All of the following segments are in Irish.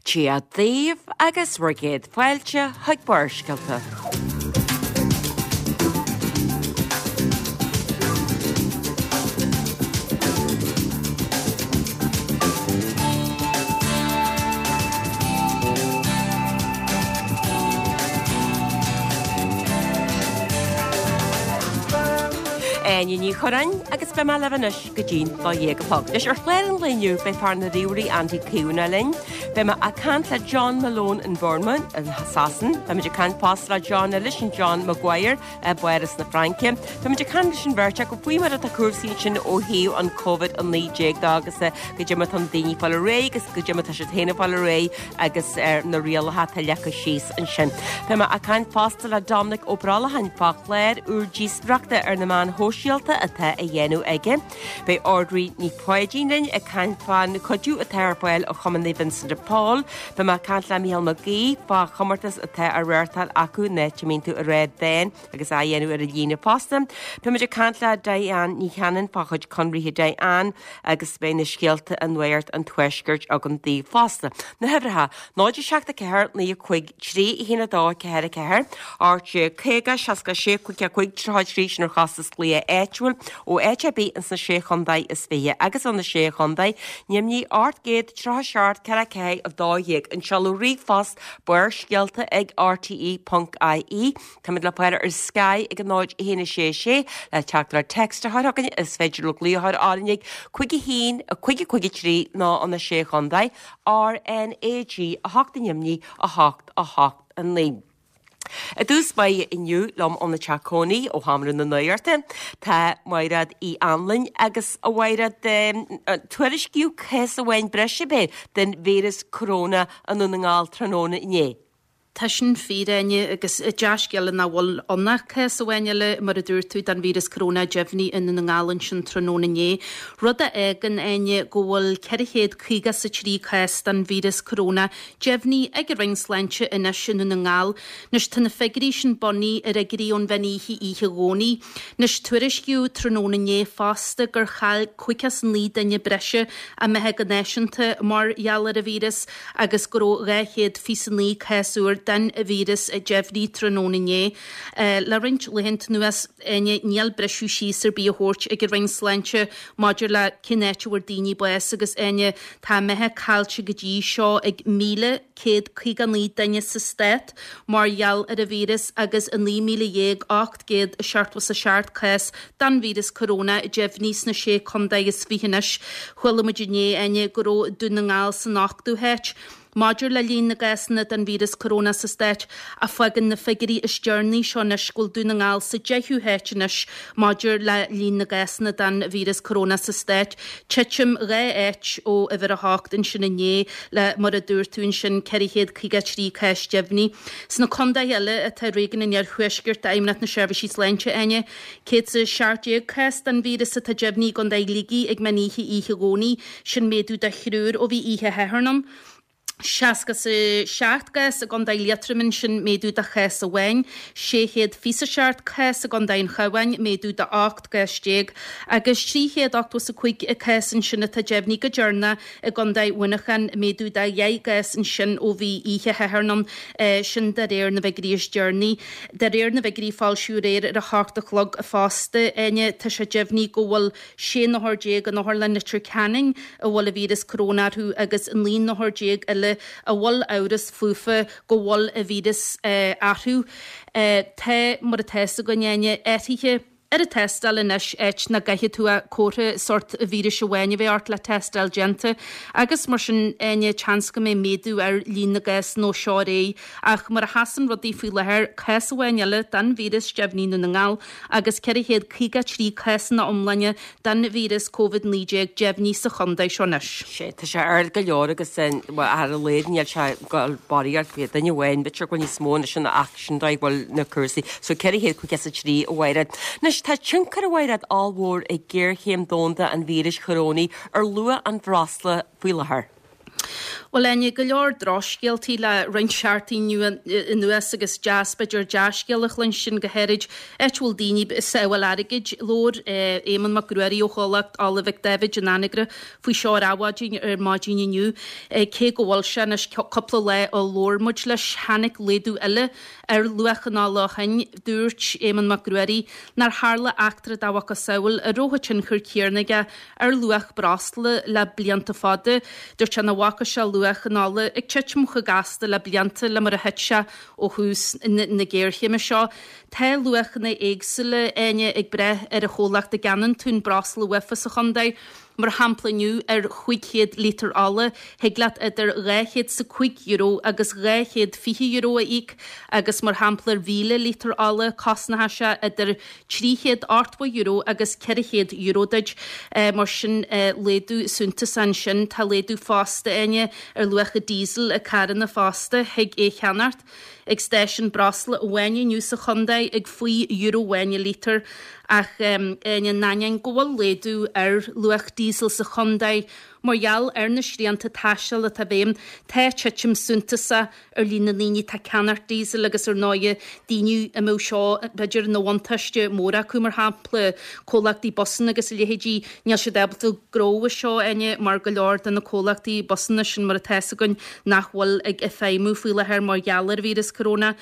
Dia daoibh agus bhur gcéad fáilte chuig Barrscéalta. Áine Ní Churráin agus beidh mé libh anois go dtí'n 12 a chlog. Anois ar chlár an lae inniu beidh fear na ríomhairí Andy Caomhánach linn. Beidh mé ag caint le John Malone in Bournemouth in Sasain. Beidh muid ag caint fosta le John eile, sin John Maguire i bPáras na Fraince. Beidh muid ag caint leis an bheirt acu faoi mar atá cúrsaí ansin ó thaobh an Covid-19 de agus goidé mar atá na daoine ag fáil ar aghaidh agus goidé mar atá siad féin ag fáil ar aghaidh agus ar na rialacha atá leagtha síos ansin. Beidh mé ag caint fosta le Dominic Ó Brollacháin fá chlár úr díospóireachta ar na meáin shóisialta atá á dhéanamh aige. Beidh Audrey Ní Pháidín linn ag caint fán chuidiú atá ar fáil ó Chumann Naomh Vincent de Paul. Beidh mé ag caint le Mícheál Mac Aoidh fá chomórtas atá á reáchtáil acu in áit a mbíonn tú ag rá dán agus á dhéanamh ar an líne fosta. Beidh muid ag caint le Diane Ní Chanainn fá chuid conraithe Diane agus beidh na scéalta i Nuacht an Tuaiscirt agam daoibh fosta. Na huimhreacha, 0 7 4 9 5 3 1 2 4 4 18 50 66 5 5 33 sin ar chostas glaoch áitiúil ó áit ar bith ins na Sé Chontae is Fiche agus ó na Sé Chontae, Ainmnigh 837 4 4 12 An seoladh ríomhphost barrscéalta ag rte.ie Táimid le fáil ar Sky ag 0 1 6 6 le teachtaireacht text a chur chugainn. Is féidir libh glaoch a chur orainn ag 5 1 5 5 3 nó ó na Sé Chontae, RnaG 8 ainmnigh 8 8 9. I dtús báire inniu liom óna teach cónaí ó Sheomra na Nuachta tá Maighread Uí Anluain agus a Mhaighread tuairiscíodh cás amháin breise ab é den víreas corona i nDún na nGall tráthnóna inné. Tá sin fíor, Áine, agus dea-scéala nach bhfuil ann ach cás amháin eile, mar a dúirt tú, den víreas coróna deimhnithe i nDún na nGall ansin tráthnóna inné. Rud a fhágann, Áine, go bhfuil 453 cás den víreas coróna deimhnithe ag an Roinn Sláinte anois i nDún na nGall. Anois, tá na figiúirí sin bunaithe ar fhigiúirí ón mheán oíche oíche Dhomhnaigh. Anois, tuairiscíodh tráthnóna inné fosta gur chaill 59 duine breise a mbeatha go náisiúnta mar gheall ar an víreas. agus go raibh 229 cás úr den víreas deimhnithe tráthnóna inné. Le roinnt laethanta anuas, Áine, níl briseadh síos ar bith á thabhairt ag an Roinn Sláinte maidir le cén áit a bhfuair daoine bás agus, Áine, tá a mbeatha caillte go dtí seo ag 1,159 duine sa stát mar gheall ar an víreas agus 19,877 cás den víreas coróna deimhnithe sna sé contae is fiche anois. Chuala muid inné, Áine, go raibh Dún na nGall san ochtú háit maidir le líon na gcásanna den víreas coróna sa stát ach fágann na figiúirí is deireanaí seo anois go bhfuil Dún na nGall sa deichiú háit anois maidir le líon na gcásanna den víreas coróna sa stát. Titim 2 áit ó uimhir a hocht ansin inné le, mar a dúirt tú ansin, 453 cás deimhnithe. Sna contaetha eile atá i réigiún an Iarthuaiscirt d'Fheidhmeannacht na Seirbhísí Sláinte, Áine, 117 cás den víreas atá deimhnithe i gContae Shligigh ag meán oíche oíche Dhomhnaigh, sin méadú de thriúr ó bhí oíche Shathairn ann. 67 gcás i gContae Liatroma ansin, méadú de chás amháin. 627 cás i gContae an Chabháin, méadú de 18 gcás, agus 385 cás ansin atá deimhnithe go deireanach I gContae Mhuineacháin, méadú de dheich gcás ansin ó bhí oíche Shathairn ann, sin de réir na bhfigiúirí is deireanaí. De réir na bhfigiúirí a foilsíodh aréir ar a hocht a chlog fosta, Áine, tá sé deimhnithe go bhfuil 16 n-othar in Otharlann Leitir Ceanainn a bhfuil an víreas coróna orthu agus 19 n-othar eile a bhfuil amhras fúthu go bhfuil an víreas orthu. Tá, mar atá fhios againn, Áine, athruithe. ar an tástáil anois, áit nach gcaithfidh tú ach comhartha sórt víris amháin a bheith ort le tástáil déanta agus mar sin Áine, seans go mbeidh méadú ar líon na gcásanna ó seo ar aghaidh ach mar a sheasann rudaí faoi láthair, cás amháin eile den víreas deimhnithe i nDún na nGall agus 453 cás ina iomláine den víreas Covid-19 deimhnithe sa chontae seo anois. Sea, tá sé ard go leor agus bhuel ar a laghad níl sé ag dul barraíocht, duine amháin, b'fhéidir go bhfuil níos mó anois ach sin dóigh go bhfuil na cúrsaí. So 453 a Mhaighread. Anois tá tionchar a Mhaighread ollmhór ag géarchéim domhanda an víris chorónaigh ar luach an bhreosla faoi láthair. Bhuel, Áine, go leor drochscéaltaí le roinnt seachtainí anuas agus deas, b'fhéidir, dea-scéal a chluinstin, go háirid áit a bhfuil daoine ag sábháil airgid. Labhair Éamonn Mac Ruairí ó chomhlacht Ola Mhic Dáibhid in Anagaire faoi seo ar Adhmhaidin ar maidin inniu. Cé go bhfuil sé anois cúpla lá ó labhair muid leis, tháinig laghdú eile ar luach an ola ó shin. Dúirt Éamonn Mac Ruairí nár tharla eachtra dá mhacasamhail a raibh an tionchar céanna aige ar luach breosla le blianta fada. Dúirt sé nach bhfaca sé luach an ola ag titim chomh gasta le blianta le mar a thit sé ó thús na géarchéime seo. Tá luachanna éagsúla, Áine, ag brath ar an chomhlacht a gceannaíonn tú an breosla uafa sa chontae. Mar shampla inniu ar 500 lítear ola thig leat idir €205 agus €220 a íoc agus mar shampla ar 1,000 lítear ola cosnóidh sé idir €380 agus €400 duit. Mar sin laghdú suntasach ansin. Tá laghdú fosta, Áine, ar luach an diesel ag carranna fosta. Thig é a cheannacht ag stáisiún breosla amháin inniu sa chontae ag faoi euro amháin an lítear ach Áine, in ainneoin go bhfuil laghdú ar luach diesel sa chontae mar gheall ar na srianta taistil atá i bhfeidhm, tá titim suntasach ar líon na ndaoine atá ag ceannacht diesel agus ar ndóighe daoine a mbeadh seo b'fhéidir ina bhuntáiste mór acu, mar shampla comhlachtaí busanna agus a leithéidí, níl siad ábalta gnóthú as seo, Áine, mar go leor de na comhlachtaí busanna sin mar atá fhios againn nach bhfuil ag feidhmiú faoi láthair mar gheall ar víreas coróna.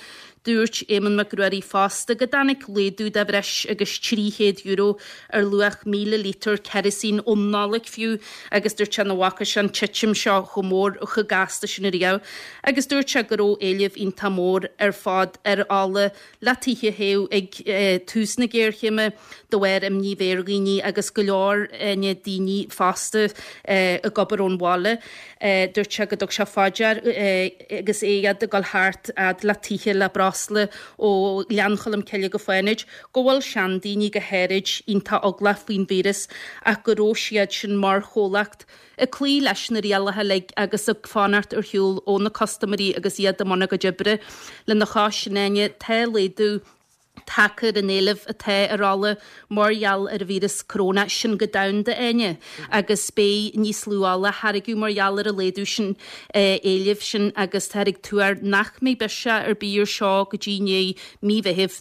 Dúirt Éamonn Mac Ruairí fosta go dtáinig laghdú de bhreis agus €300 ar luach 1,000 lítear kerosene ón Nollaig fiú agus dúirt sé nach bhfaca sé an titim seo chomh mór, chomh gasta sin ariamh agus dúirt sé go raibh éileamh iontach mór ar fad ar ola le tithe a théamh ag tús na géarchéime de bharr imní a bheith ar dhaoine agus go leor daoine fosta ag obair ón bhaile. Dúirt sé go dtug sé fá dear agus é ag dul thart fhad le tithe le breosla ó Ghleann Cholm Cille go Fánaid go bhfuil seandaoine go háirid iontach eaglach faoin víreas ach go raibh siad sin mar chomhlacht ag cloí leis na rialacha uilig agus ag fanacht ar shiúl ó na custaiméirí agus iad i mbun a gcuid oibre. Lena chois sin, Áine, tá laghdú tagtha ar an éileamh atá ar ola mar gheall ar an víreas coróna, sin go domhanda, Áine, agus beidh níos lú ola á tháirgeadh mar gheall ar an laghdú sin éilimh sin agus táthar ag tuar nach mbeidh biseach ar bith ar seo go dtí i ndiaidh mí Mheithimh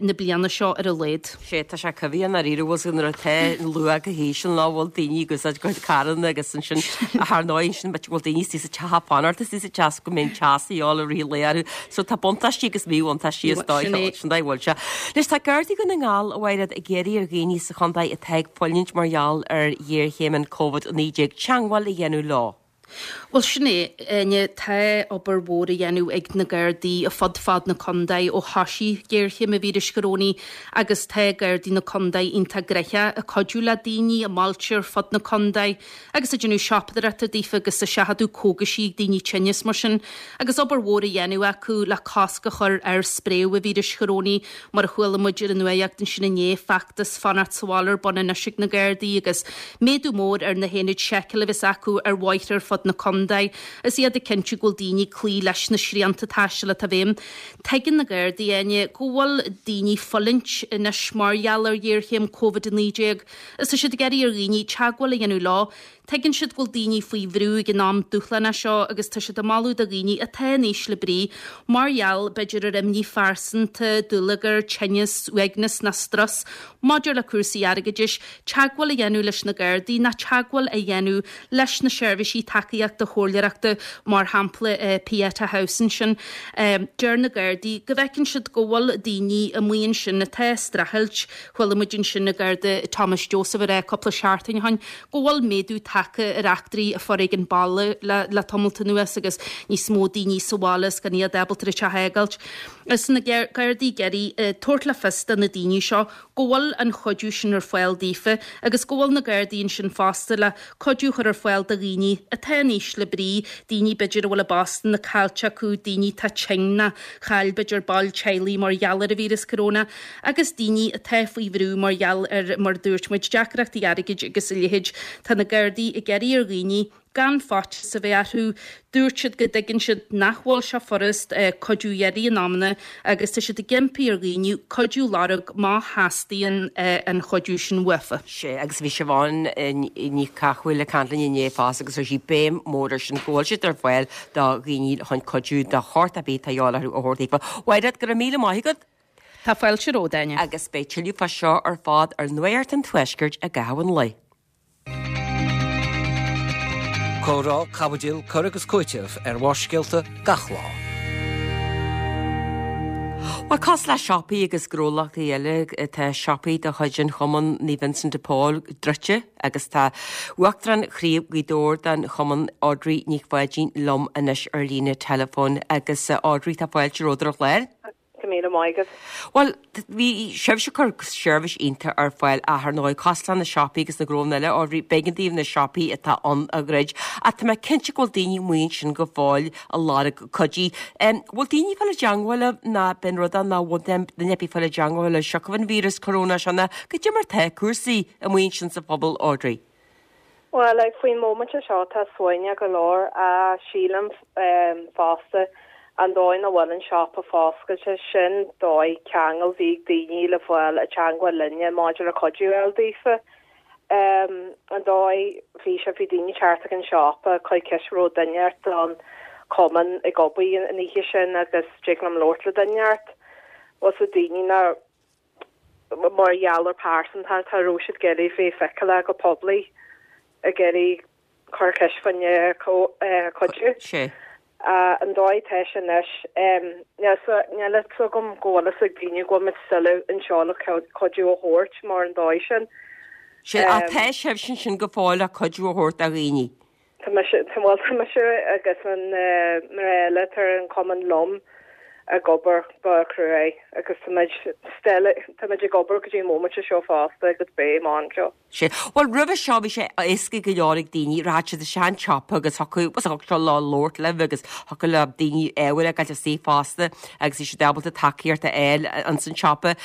na bliana seo ar a laghad. Sea, tá sé coimhthíoch i ndáiríre, bhfuil 's nuair atá an luach go híseal ná bhfuil daoine ag úsáid a gcuid carranna agus ansin ar ndóigh ansin bhfuil daoine istigh sa teach ag fanacht istigh sa teach go mbeidh an teas a dhíobháil i rith an lae orthu. So tá buntáistí agus míbhuntáistí is dóigh sin dóigh bhfuil sé. Anois tá Gardaí Dhún na nGall, a Mhairéad, ag iarraidh ar dhaoine sa chontae atá ag fulaingt mar gheall ar ghéarchéim an Covid-19 teagmháil a dhéanamh leo. Bhuel sin é, Áine, tá obair mhór á dhéanamh ag na Gardaí fud fad na contae ó thoisigh géarchéim an víris chorónaigh agus tá Gardaí na contae iontach gnoitheach ag cuidiú le daoine i mbailte ar fud na contae agus ag déanamh siopadóireachta daofa agus ag seachadadh cógaisí ag daoine tinn is mar sin, agus obair mhór á dhéanamh acu le cosc a chur ar spréadh an víris chorónaigh, mar a chuala muid ar an nuacht ansin inné, feachtas fanacht sa bhaile ar bun anois ag na Gardaí agus méadú mór ar na haonaid seiceála a bheas acu ar bhóithre ar fud na contae is iad ag cinntiú go bhfuil daoine ag cloí leis na srianta taistil atá i bhfeidhm. Tuigeann na Gardaí, Áine, go bhfuil daoine ag fulaingt anois mar gheall ar ghéarchéim Covid-19. Is tá siad ag iarraidh ar dhaoine teagmháil a dhéanamh leo. Tuigeann siad go bhfuil daoine faoi bhrú ag an am dúshlánach seo agus tá siad ag moladh do dhaoine atá in ísle brí, mar gheall, b'fhéidir, ar imní phearsanta, dúlagar, tinneas, uaigneas ná strus maidir le cúrsaí airgeadais, teagmháil a dhéanamh leis na Gardaí ná teagmháil a dhéanamh leis na seirbhísí tacaíochta chomhairleoireachta, mar shampla Pieta House ansin. Deir na Gardaí go bhfeiceann siad go bhfuil daoine amuigh ansin atá ag streachailt Chuala muid ansin an Garda Thomas Joseph ag rá cúpla seachtain ó shin go bhfuil méadú tagtha ar eachtraí foréigean baile le tamalt anuas agus níos mó daoine sa bhaile is gan iad ábalta an teach a fhágáilt. Is na Gardaí ag iarraidh tabhairt le fios do na daoine seo go bhfuil an chuidiú sin ar fáil daofa agus go bhfuil na Gardaí ansin fosta le cuidiú a chur ar fáil do dhaoine atá in ísle brí, daoine b'fhéidir a bhfuil a bpostanna caillte acu, daoine atá tinn ná chaill b'fhéidir baill teaghlaigh mar gheall ar an víreas coróna agus daoine atá faoi bhrú mar gheall ar, mar a dúirt muid, deacrachtaí airgid agus a leithéid. Tá na Gardaí ag iarraidh ar dhaoine. gan faitíos a bheith orthu. Dúirt siad go dtuigeann siad nach bhfuil sé furast cuidiú a iarraidh in amanna agus tá siad ag impí ar dhaoine cuidiú a lorg má theastaíonn an chuidiú sin uafa. Sea, agus bhí Siobhán Ní Chathmhaoil ag caint linn inné fosta agus chuir sí béim mhór ar sin, go bhfuil siad ar fáil do dhaoine chun cuidiú de shórt ar bith atá de dhíobháil orthu a thabhairt daofa. Mhairéad, go raibh míle maith agat. Tá fáilte romhat, Áine. Agus beidh tuilleadh fá seo ar fad ar Nuacht an Tuaiscirt i gcaitheamh an lae. Comhrá, caibidil, cur agus cúiteamh ar Bharrscéalta gach lá. Bhuel, cosúil le siopaí agus gnólachtaí eile, tá siopaí de chuid an Chumann Naomh Vincent de Paul druidte agus tá Uachtarán Chraobh Ghaoth Dobhair den Chumann, Audrey Nic Pháidín, liom anois ar líne teileafóin. Agus Audrey, tá fáilte romhat ar an chlár. Go míle maith agat. Bhuel, bhí sibhse ag cur seirbhís iontach ar fáil ach ar ndóigh, cosúil le na siopaí agus na gnónna eile, Audrey, b'éigean daoibh na siopaí atá ann a dhruid. Ach tá mé cinnte go bhfuil daoine amuigh ansin go fóill ag lorg cuidiú. Bhfuil daoine ag fáil i dteangmháil libh nó b'in rud é nach bhfuil duine ar bith ag fáil i dteangmháil libh siocair an víreas corona seo nó goidé mar tá cúrsaí amuigh ansin sa phobal, Audrey? Bhuel, like, faoin móimint seo tá suaimhneach go leor, ach sílim fosta an dóigh nach bhfuil an siopa foscailte, sin dóigh ceangal bhí ag daoine le fáil i dteangmháil linne maidir le cuidiú a fháil daofa. An dóigh bhí sé, bhí daoine teacht ag an siopa, cur ceist raibh duine ort don cumann ag obair an oíche sin agus dtig liom labhairt le duine ort. Bhfuil 's ag daoine nach mar gheall ar pearsantacht, cha raibh siad ag iarraidh bheith feiceálach go poiblí ag iarraidh cur ceist fá choinne cuidiú. Sé. An dóigh atá sé anois, níl a fhios agam go bhfuil fhios ag daoine go bhfuil muid still anseo le cuidiú a thabhairt mar an dóigh sin. Sé, ach tá sibhse ansin go fóill le cuidiú a thabhairt do dhaoine. Tá mise, bhuel tá mise agus an mná eile atá ar an chumann liom ag obair go cruaidh agus tá muid still, tá muid ag obair go dtí an móimint seo fosta agus beidh amach anseo. Sea. Bhuel roimhe seo bhí sé éasca go leor ag daoine, rachadh siad isteach an tsiopa agus thiocfadh, bhuel thiocfadh leo labhairt libh agus thiocfadh le daoine ábhair a fhágáil istigh fosta agus bhí siad ábalta tacaíocht a fháil ins an tsiopa.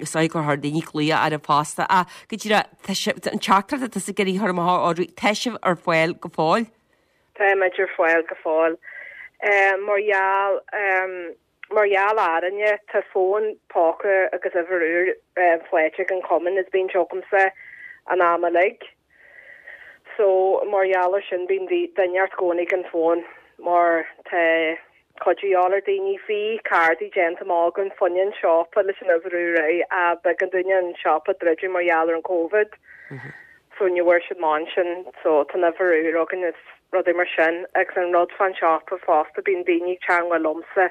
Is dóigh gur chuir daoine glaoch oraibh fosta ach go díreach Tá sibh, an teachtaireacht atá tusa ag iarraidh a chur amach, Audrey, tá sibh ar fáil go fóill? Táimid ar fáil go fóill. Mar gheall, mar gheall orainne, tá fón póca agus uimhir úr faighte ag an chumann is bíonn sé agamsa an am uilig. So, mar gheall ar sin bíonn duine ort i gcónaí ag an fón mar tá cuidiú de dhíobháil ar daoine. Bhí cárdaí déanta amach againn fá choinne an siopa leis an uimhir úr air ach b'éigean dúinne an siopa druidim mar gheall ar an Covid so ní bhfuair siad amach ansin so tá an uimhir úr againn is rudaí mar sin agus an rud fán siopa fosta bíonn daoine ag teangmháil liomsa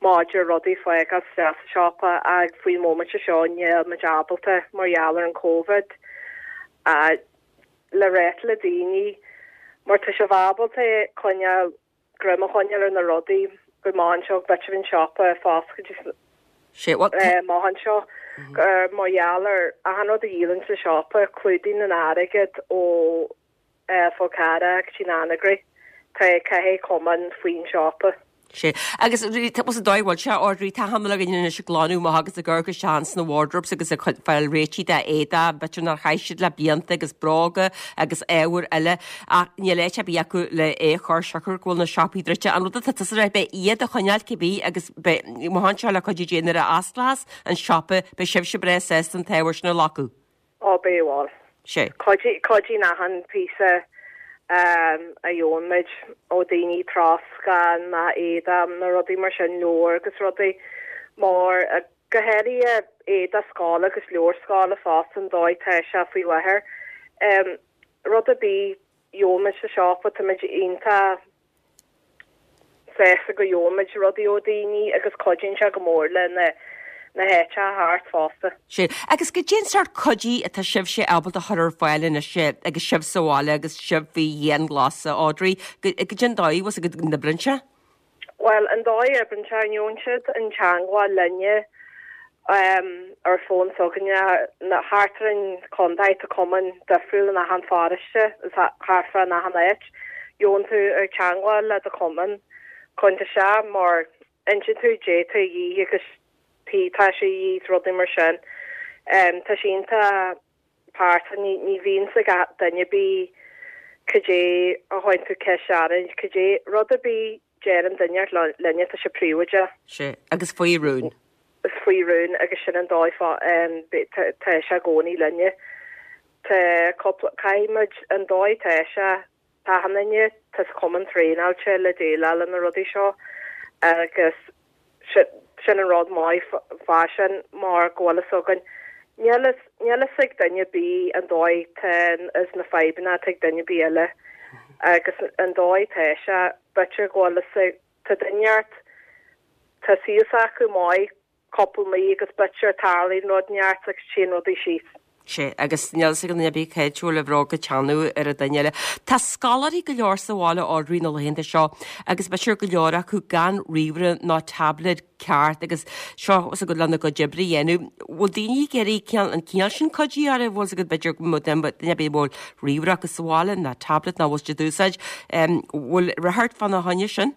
maidir rudaí fágáil isteach sa siopa ach faoin móimint seo níl muid ábalta mar gheall ar an Covid ach le ráit le daoine mar tá sibh ábalta coinneáil greim a choinneáil ar na rudaí go amach anseo, b'fhéidir an siopa foscailte amach anseo mar gheall ar achan rud a dhíolann sa siopa, clúdaíonn an airgead ó Fhol Carrach go dtí an Anagaire. Tá caithfidh cumann faoin siopa. Sea. Agus tá an dóigh a bhfuil sé, Audrey, tá achan uile dhuine anois ag glanadh amach agus ag amharc isteach ins na wardrobes agus ag fáil réitithe d'éadach, b'fhéidir nár chaith siad le blianta agus bróga agus ábhair eile. Ach níl áit ar bith acu le é a chur siocair go bhfuil na siopaí druidte. An rud atá tusa a rá, beidh iad a choinneáil cibé agus beidh, amach anseo le cuidiú Dé nuair a osclós an siopa, beidh sibhse breá sásta an t-ábhar sin a ghlacadh. Ó beidh, bhuel. Sé. Cuidíonn achan píosa a gheobhann muid ó daoine, troscán, ná éadach, na rudaí mar sin, leabhair agus rudaí mar go háirithe éadach scoile agus leabhair scoile fosta an dóigh tá sé faoi láthair. Rud ar bith, gheobhaidh muid sa siopa, táimid iontach sásta go gheobhaidh muid rudaí ó daoine agus cuidíonn sé go mór le na na háiteacha thart fosta. Sea. Agus goidé an sórt cuidiú atá sibhse ábalta a chur ar fáil anois agus sibh sa bhaile agus sibh faoi dhianghlasáil, Audrey, goidé an dóigh, bhfuil 's agat go n-oibríonn sé? Bhuel, an dóigh a oibríonn sé, gheobhann siad in teangmháil linne ar fón s'againne, thart ar an chontae, tá cumainn difriúil in achan pharóiste is thart fá in achan áit. Gheobhann tú ar teangmháil le do chumann chun isteach mar insíonn tú goidé tá a dhíth agus tá sé a dhíth is rudaí mar sin. Tá sé iontach pearsanta, ní bhíonn 's ag duine ar bith. Cad é a chuireann tú ceist orainn, cad é rud ar bith deireann duine inteacht linne, tá sé príobháideach. Sea, agus faoi rún. Is faoi rún agus sin an dóigh fá, tá sé i gcónaí linne. Tá cúpla, caithfidh muid, an dóigh tá sé, tá achan duine, tá sa chumann traenáilte le déileáil le na rudaí seo agus sin an rud maith fá sin mar go bhfuil fhios againn, níl níl fhios ag duine ar bith an dóigh tá is na fadhbanna atá ag duine ar bith eile agus an dóigh tá sé, b'fhéidir go bhfuil fhios ag, tá duine inteacht, tá saol s'acu maith cúpla mí agus b'fhéidir tarlaíonn rud inteacht agus téann rudaí síos. Sea, agus níl fhios ag an duine ar bith cá háit a bhfuil an bhróg ag teannadh ar an duine eile. Tá scoláirí go leor sa bhaile Audrey na laethanta seo agus b'fhéidir go leor acu gan ríomhaire ná tablet ceart agus seo fhios agat lena gcuid oibre a dhéanamh. Bhfuil daoine ag iarraidh an cineál sin cuidiú oraibh? Bhfuil fhios agat b'fhéidir go mbeadh duine ar bith a bhfuil ríomhaire acu sa bhaile ná tablet ná bhfuil siad ag úsáid. Bhfuil rith ort fána choinne sin?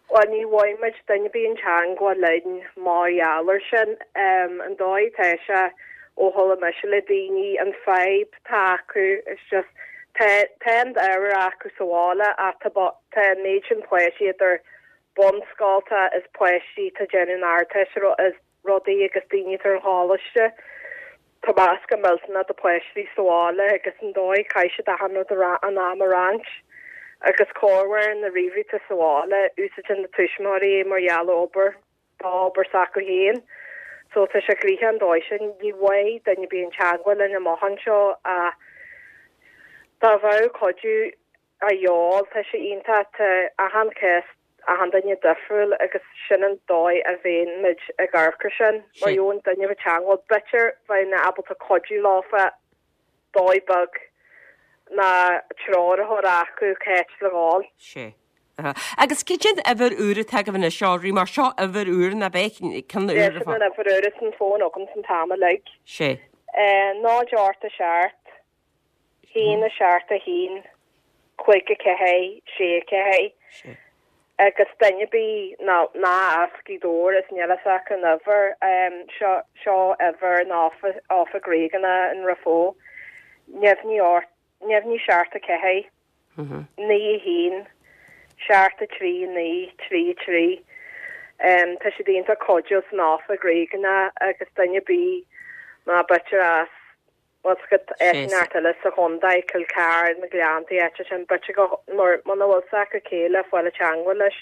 Bhuel, ní bhfaighidh muid duine ar bith in teangmháil linn mar gheall air sin. An dóigh atá sé, ó chuala mise le daoine, an fadhb atá acu, it's just, tá, tá an t-ábhar acu sa bhaile ach tá, tá an méid sin páistí idir bunscolta is páistí atá ag déanamh an Ardteist is rudaí agus daoine atá ar an choláiste. Tá meascán millteanach de pháistí sa bhaile agus an dóigh caithfidh siad achan rud an am a roinnt agus corruair na ríomhairí atá sa bhaile, úsáideann na tuismitheoirí é mar gheall ar obair, dá obair s'acu féin. So tá sé gnoitheach an dóigh sin. Ní bhfaighidh duine ar bith in teagmháil linn amach anseo ach dá bheadh cuidiú a dhíobháil, tá sé iontach, tá achan cás achan duine difriúil agus sin an dóigh a bheinn muid ag amharc ar sin, mar gheobhann duine i dteangmháil, b'fhéidir bheinn ábalta cuidiú leofa dóigh beag ná treoir a chur acu cá háit le dhul. Sea. Agus cad é an uimhir úr atá agaibh anois, Audrey, mar seo uimhir úr nach ea, ceann úr ar fad. Sin an uimhir úr is an fón agamsa an t-am uilig. Sea. 0 8 7 1 7 1 5 4 6 4 agus duine ar bith ná ná as Gaoth Dobhair is níl fhios acu an uimhir seo seo uimhir an oifig réigiúnach in Ráth Bhoth neamhní ort neamhní 7 4 9 1 7 3 9 3 3 Tá siad iontach cuidiúil san oifig réigiúnach agus duine ar bith ná b'fhéidir as Bhfuil fhios agat áit inteacht eile sa chontae, Cill Chartha, na Gleanntaí, áit sin, b'fhéidir go, mar muna bhfuil fhios acu cé le fáil i teangmháil leis,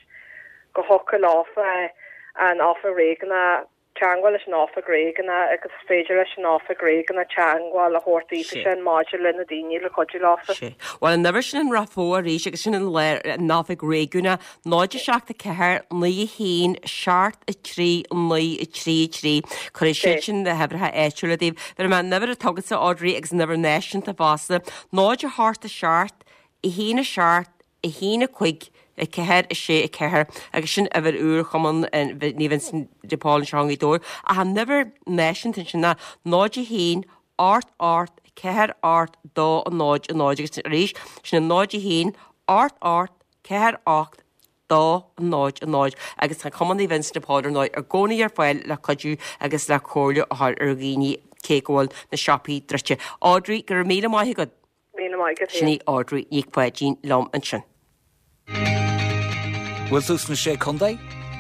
go thiocfadh leofa an oifig réigiúnach, teangmháil leis an oifig réigiúnach agus is féidir leis an oifig réigiúnach teangmháil a thabhairt daofa sin maidir le na daoine le cuidiú leofa. Sea. Bhuel, an uimhir sin in Ráth Bhoth arís agus sin an an oifig réigiúnach 0 7 4 9 1 7 3 9 3 3. Cuirfidh siad sin na huimhreacha áitiúla daoibh. Bhéarfaidh mé an uimhir atá agatsa Audrey agus an uimhir náisiúnta fosta, 0 8 7 1 7 1 5 4 6 4 agus sin uimhir úr Chumann Naomh Vincent de Paul anseo i nGaoth Dobhair. Ach an uimhir náisiúnta ansin ná 0 1 8 8 4 8 2 0 0 agus arís sin an 0 1 8 8 4 8 2 0 0 agus tá Cumann Naomh Vincent de Paul ar ndóigh i gcónaí ar fáil le cuidiú agus le comhairle a chur ar dhaoine cé go bhfuil na siopaí druidte. Audrey, go raibh míle maith agat. Míle maith agat Sin í Audrey Nic Pháidín liom ansin. Bhfuil tú sna Sé Contae?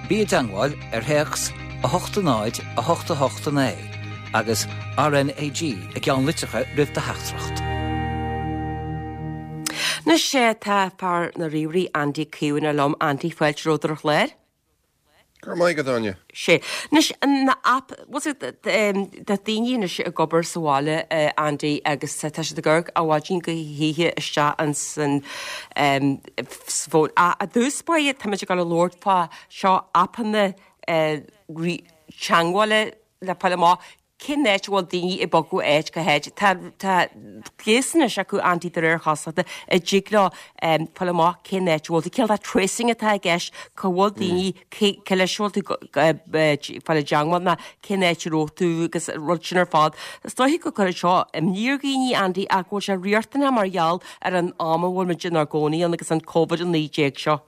Bí i dteangmháil ar théacs 8 0 8 8 9 agus RnaG i gceannlitreacha roimh do theachtaireacht. Anois tá fear na ríomhairí Andy Caomhánach liom. Andy, fáilte romhat ar an chlár. Go raibh maith agat, Áine. Sea. Anois, na app, bhfuil fhios agat, tá daoine anois ag obair sa bhaile, Andy, agus tá siad ag amharc ó mhaidin go hoíche isteach ins an bhfón. Ach i dtús báire, táimid ag dul a labhairt fá seo aipeanna teangmhála le fáil amach cén áit a bhfuil daoine ag bogadh ó áit go háit. Tá tá gléasanna anois acu Andy de réir cosúlachta a dtig leo fáil amach cén áit a bhfuil tú. Cineál de tracing atá i gceist, cá bhfuil daoine, cé cé leis a bhfuil tú ag fáil i dteangmháil ná cén áit a raibh tú agus an rud sin ar fad. Is dóiche go gcuirfidh seo imní ar dhaoine Andy ach go bhfuil sé riachtanach mar gheall ar an am a bhfuil muid inár gcónaí ann agus an Covid-19 seo.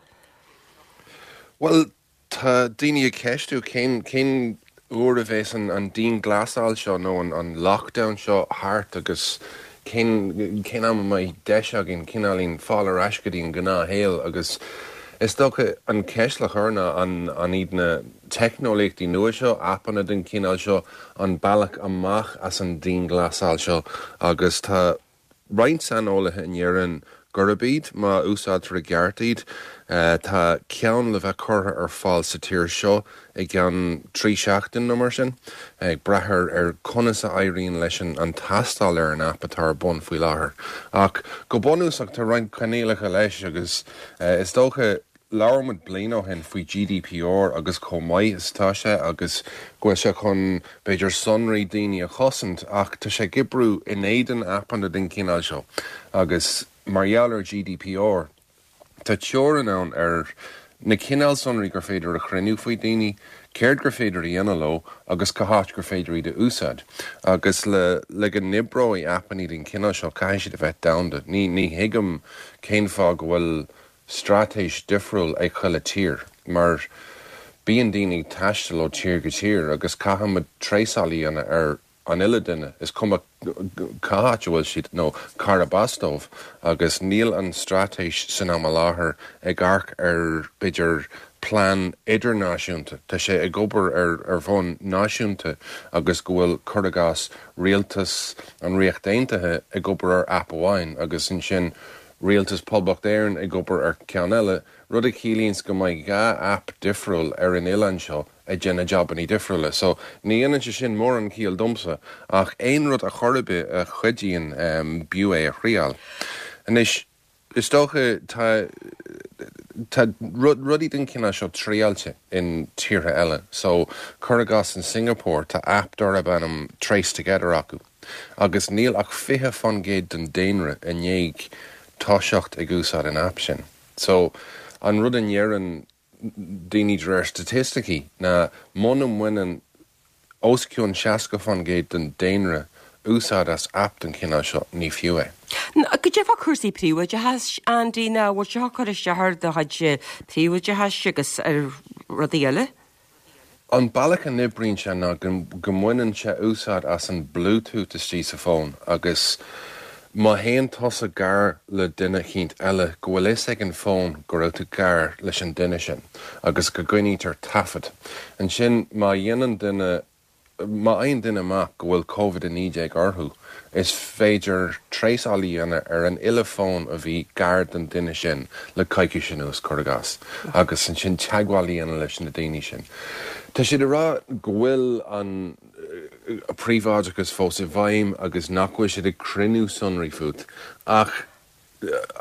Bhuel, Tá daoine ag ceistiú cén cén uair a bheas an an dianghlasáil seo nó an an lockdown seo thart agus. Cén, cén am a mbeidh deis againn cineáilín fáil ar ais go dtí an gnáthshaol agus is dócha an cheist le cur ná an, an iad na teicneolaíochtaí nua seo, aipeanna den chineál seo, an bealach amach as an dianghlasáil seo agus tá roinnt saineolaithe a ndeireann gurb iad, má úsáidtear i gceart iad. Tá ceann le bheith curtha ar fáil sa tír seo i gceann 3 seachtain nó mar sin, ag brath ar conas a éiríonn leis an tástáil ar an aip atá ar bun faoi láthair. Ach go bunúsach tá roinnt coinníollacha leis agus is dócha Labhair muid bliain ó shin faoi GDPR agus chomh maith is atá sé agus go bhfuil sé chun, b'fhéidir, sonraí daoine a chosaint ach tá sé ag oibriú in éadan aipeanna den chineál seo agus mar gheall ar GDPR tá teorainn ann ar na cineál sonraí gur féidir a chruinniú faoi daoine, céard gur féidir a dhéanamh leo agus cá háit gur féidir iad a úsáid. Agus le le go n-oibreoidh aipeanna den chineál seo caithfidh siad a bheith domhanda. Ní ní thuigim cén fáth go bhfuil straitéis difriúil ag chuile tír, mar bíonn daoine ag taisteal ó tír go tír agus caithfimid tréasáil a dhéanamh ar an uile duine, is cuma cá háit a bhfuil siad nó cárb as dóibh, agus níl an straitéis san am i láthair ag amharc ar, b'fhéidir, plean idirnáisiúnta. Tá sé ag obair ar ar bhonn náisiúnta agus go bhfuil, cur i gcás, rialtas an Ríocht Aontaithe ag obair ar aip amháin agus ansin Rialtas Poblacht Éireann ag obair ar cheann eile, rud a chiallaíonns go mbeidh 2 aip difriúil ar an oileán seo ag déanamh jabannaí difriúla. So, ní dhéanann sé sin mórán ciall domsa, ach aon rud a chor ar bith a chuidíonn, b'fhiú é a thriáil. Anois, is dócha, tá, tá rudaí den chineál seo triáilte in tíortha eile. So, cuir i gcás in Singapore, tá aip darb ainm Trace Together acu. Agus níl ach 20% den daonra i ndiaidh toiseacht ag úsáid an aip sin. So, an rud a ndeireann daoine de réir staitisticí ná muna mbaineann os cionn 60% den daonra úsáid as aip den chineál seo, ní fiú é. Goidé fá cúrsaí príobháideachais, Andy, nach bhfuil sé ag cur isteach ar do chuid príobháideachais agus ar rudaí eile? An bealach a n-oibríonn sé ná go mbaineann sé úsáid as an Bluetooth istigh sa bhfón agus má théann tusa gar le duine eicínt eile go bhfuil fhios ag an bhfón go raibh tú gar leis an duine sin agus go gcoinnítear taifead. Ansin má dhéanann duine Má fhaigheann duine amach go bhfuil Covid-19 orthu, is féidir tréasáil a dhéanamh ar an uile fón a bhí gar don duine sin le coicís anuas, cuir i gcás, agus ansin teagmháil a dhéanamh leis na daoine sin. Tá siad ag rá go bhfuil an príobháideachas fós i bhfeidhm agus nach bhfuil siad ag cruinniú sonraí fút, ach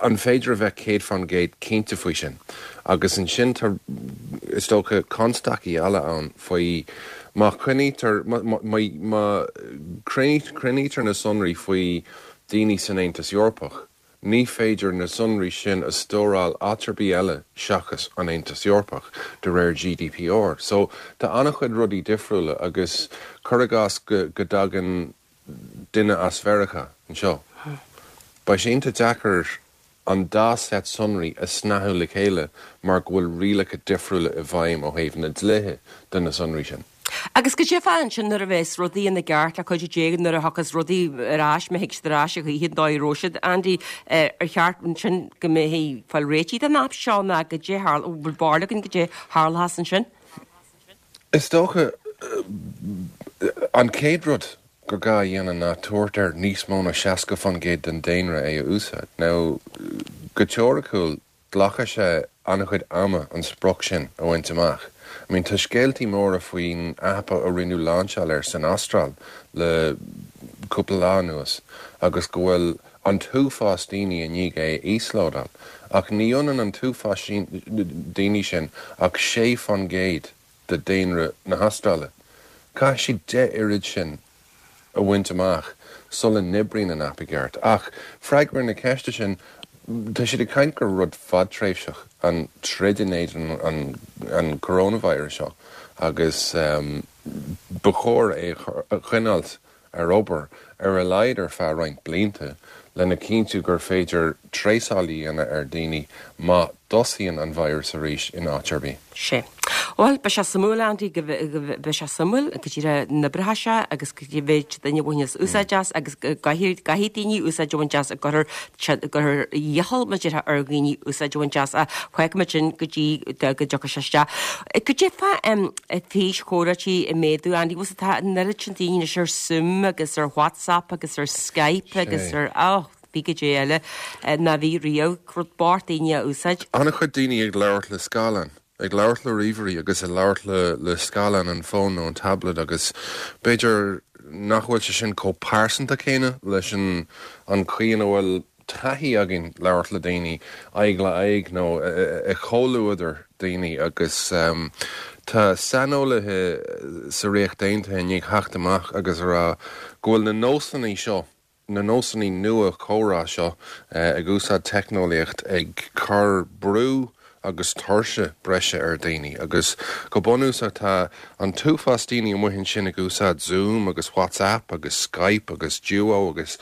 An féidir a bheith 100% cinnte faoi sin? Agus ansin tá, is dócha, constaicí eile ann faoi má choinnítear, má chruinnítear na sonraí faoi daoine san Aontas Eorpach, ní féidir na sonraí sin a stóráil áit ar bith eile seachas an Aontas Eorpach, de réir GDPR. So, tá an-chuid rudaí difriúla agus cuir i gcás go dtagann duine as Mheiriceá anseo. Beidh sé iontach deacair an dá seit sonraí a shnoíodh le chéile mar go bhfuil rialacha difriúla i bhfeidhm ó thaobh na dlíthe de na sonraí sin. Agus goidé fá ansin nuair a bheas rudaí ina gceart le cuidiú Dé nuair a thiocfas rudaí ar ais, má thig siad ar ais a choíche an dóigh a raibh siad, Andy, ar cheart ansin go mbeifí ag fáil réitigh den aip seo nó goidé a tharla, bhfuil barúil againn goidé a tharlóchas ansin? Is dócha, an chéad rud gur gá a dhéanamh ná tabhairt ar níos mó ná 60% den daonra é a úsáid. Now, go teoiriciúil, glacfaidh sé an-chuid ama an sprioc sin a bhaint amach. I mean, tá scéaltaí móra faoin aip a rinneadh lainseáil air san Astráil le cúpla lá anuas agus go bhfuil an t-uafás daoine i ndiaidh é a íoslódáil, ach ní ionann an t-uafás daoine sin ach 6% de daonra na hAstráile. Caithfidh siad 10 oiread sin a bhaint amach sula n-oibríonn an aip i gceart. Ach freagra na ceiste sin, tá siad ag caint gur rud fadtréimhseach an troid in éadan an coronavirus seo agus ba chóir é a choinneáilt ar obair, ar a laghad ar feadh roinnt blianta, lena chinntiú gur féidir tréasáil a dhéanamh ar dhaoine má thosaíonn an virus arís in áit ar bith. Sea. Bhuel, beidh sé suimiúil, Andy, go beidh sé suimiúil go díreach an oibreoidh sé agus cé mhéid duine a bhaineas úsáid as agus go gcaithfidh gcaithfidh daoine úsáid a bhaint as go gcuirfear gcuirfear iachall mar a déarfá ar dhaoine úsáid a bhaint as ach fágfaidh muid sin go dtí go dtiocfaidh sé isteach. Cad é fá físchomhráití ag méadú, Andy, bhfuil tá an oiread sin daoine anois ar Zoom agus ar WhatsApp agus ar Skype agus ar, oh, bhí go dé eile ná bhí riamh, rud bocht daoine a úsáid. An-chuid daoine ag labhairt le scáileán, ag labhairt le ríomhairí agus ag labhairt le le scáileán an fóin nó an tablet agus b'fhéidir nach bhfuil sé sin chomh pearsanta céanna leis an an chaoi ina bhfuil taithí againn labhairt le daoine aghaidh le aghaidh nó i gcomhluadar daoine agus tá saineolaithe sa Ríocht Aontaithe i ndiaidh theacht amach agus a rá go bhfuil na nósanna seo na nósanna nua comhrá seo ag úsáid teicneolaíocht ag cur brú agus tuirse breise ar dhaoine agus go bunúsach tá an t-uafás daoine amuigh ansin ag úsáid Zoom agus WhatsApp agus Skype agus Duo agus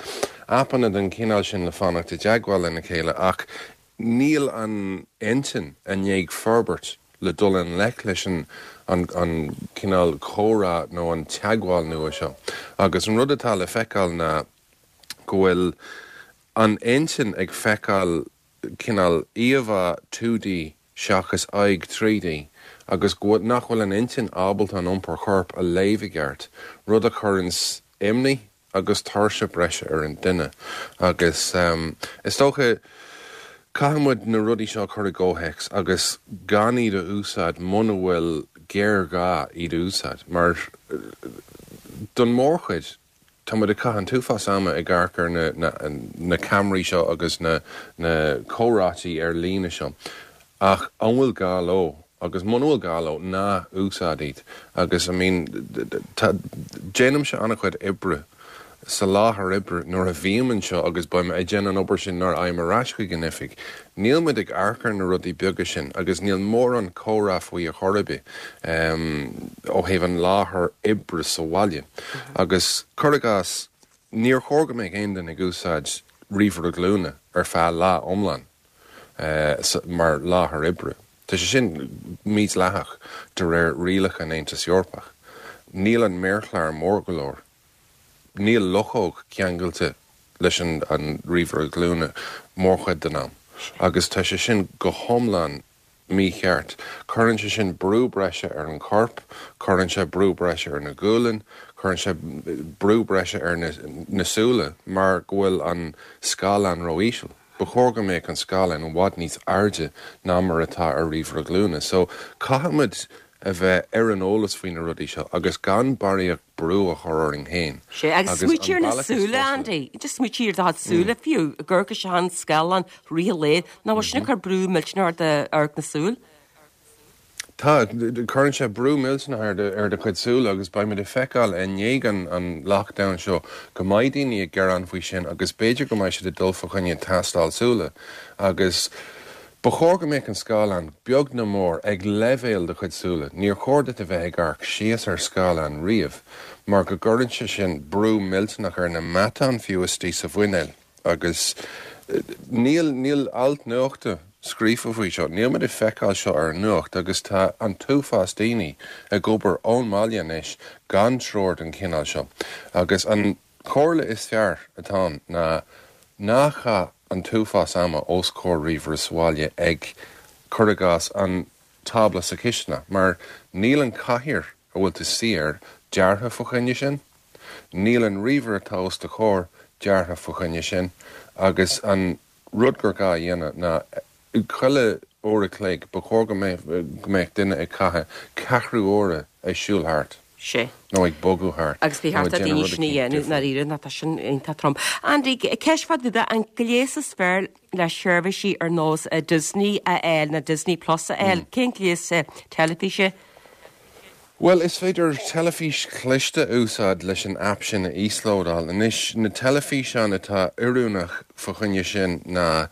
aipeanna den chineál sin le fanacht i dteagmháil lena chéile ach níl an intinn i ndiaidh forbairt le dul i ngleic leis an an cineál comhrá nó an teagmháil nua seo. Agus an rud atá le feiceáil ná go bhfuil an intinn ag feiceáil cineál íomhá 2D seachas aghaidh 3D agus go bhfuil, nach bhfuil an intinn ábalta an iompar choirp a léamh i gceart, rud a chuireanns imní agus tuirse breise ar an duine agus is dócha caithfidh muid na rudaí seo a chur i gcomhthéacs agus gan iad a úsáid muna bhfuil géarghá iad a úsáid mar don mórchuid tá muid ag caitheamh an t-uafás ama ag amharc ar na na na ceamaraí seo agus na na comhráití ar líne seo ach an bhfuil gá leo? Agus muna bhfuil gá leo, ná úsáid iad. Agus, I mean, tá, déanaimse an-chuid oibre sa láthair oibre nuair a bhím anseo agus beidh mé ag déanamh an obair sin nuair a fhaighim ar ais chuig an oifig. Níl muid ag amharc ar na rudaí beaga sin agus níl mórán comhrá faoi ar chor ar bith ó thaobh an láthair oibre sa bhaile. Agus, cuir i gcás, níor chóir go mbeadh aon duine ag úsáid ríomhaire glúine ar feadh lá iomlán. mar láthair oibre. Tá sé sin mídhleathach de réir rialacha an Aontais Eorpach. Níl an méarchlár mór go leor. Níl luchóg ceangailte leis an ríomhaire glúine mórchuid den am agus tá sé sin go hiomlán mícheart. Cuireann sé sin brú breise ar an chorp, cuireann sé brú breise ar na gualainn, cuireann sé brú breise ar na súile mar go bhfuil an scáileán ró-íseal. Ba chóir go mbeadh an scáileán i bhfad níos airde ná mar atá ar ríomhaire glúine. So, caithfimid a bheith ar an eolas faoi na rudaí seo agus gan barraíocht brú a chur orainn féin. Sea, agus smaoitigh ar na súile, Andy. Just smaoitigh ar do chuid súile fiú, ag amharc isteach an scáileán i rith an lae, nach bhfuil sin ag cur brú millteanach ar d'amharc na súl? Tá, cuireann sé brú millteanach ar do, ar do chuid súl agus beidh muid ag feiceáil i ndiaidh an, an lockdown seo go mbeidh daoine ag gearán faoi sin agus b'fhéidir go mbeidh siad ag dul fá choinne tástáil súile agus ba chóir go mbeadh an scáileán beag nó mór ag leibhéal do chuid súile. Níor chóir duit a bheith ag amharc síos ar scáileán riamh mar go gcuireann sé sin brú millteanach ar na meatáin fiú istigh sa mhuinéal. Agus níl, níl alt nuachta scríofa faoi seo, níl muid ag feiceáil seo ar an nuacht agus tá an t-uafás daoine ag obair ón mbaile anois gan treoir den chineál seo. Agus an chomhairle is fearr atá ann ná ná caith an t-uafás ama os comhair ríomhaire sa bhaile ag, cuir i gcás, an tábla sa chisteanach mar níl an chathaoir a bhfuil tú suí air deartha fá choinne sin. Níl an ríomhaire atá os do chomhair deartha fá choinne sin agus an rud gur gá a dhéanamh ná chuile uair a chloig ba chóir go mbeadh duine ag caitheamh ceathrú uaire ag siúl thart Sea. nó ag bogadh thart Agus bhí nó thart ag ar déanamh daoine rud sin a eicínt dhéanamh difriúil. ndáiríre ná tá sin iontach trom. Andy, ceist fá dtaobh de, an gléas is fearr le seirbhísí ar nós Disney a fháil nó Disney Plus a fháil, cén gléas teilifíse? Bhuel, is féidir teilifís chliste a úsáid leis an aip sin a íoslódáil. Anois, na teilifíseáin atá oiriúnach fá choinne sin ná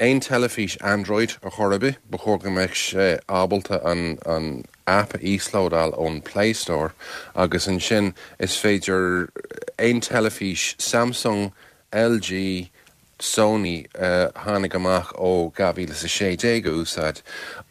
aon teilifís Android ar chor ar bith, ba chóir go mbeadh sé ábalta an an aip a íoslódáil ón Play Store agus ansin is féidir aon teilifís Samsung, LG. Sony a tháinig amach ó 2016 a úsáid.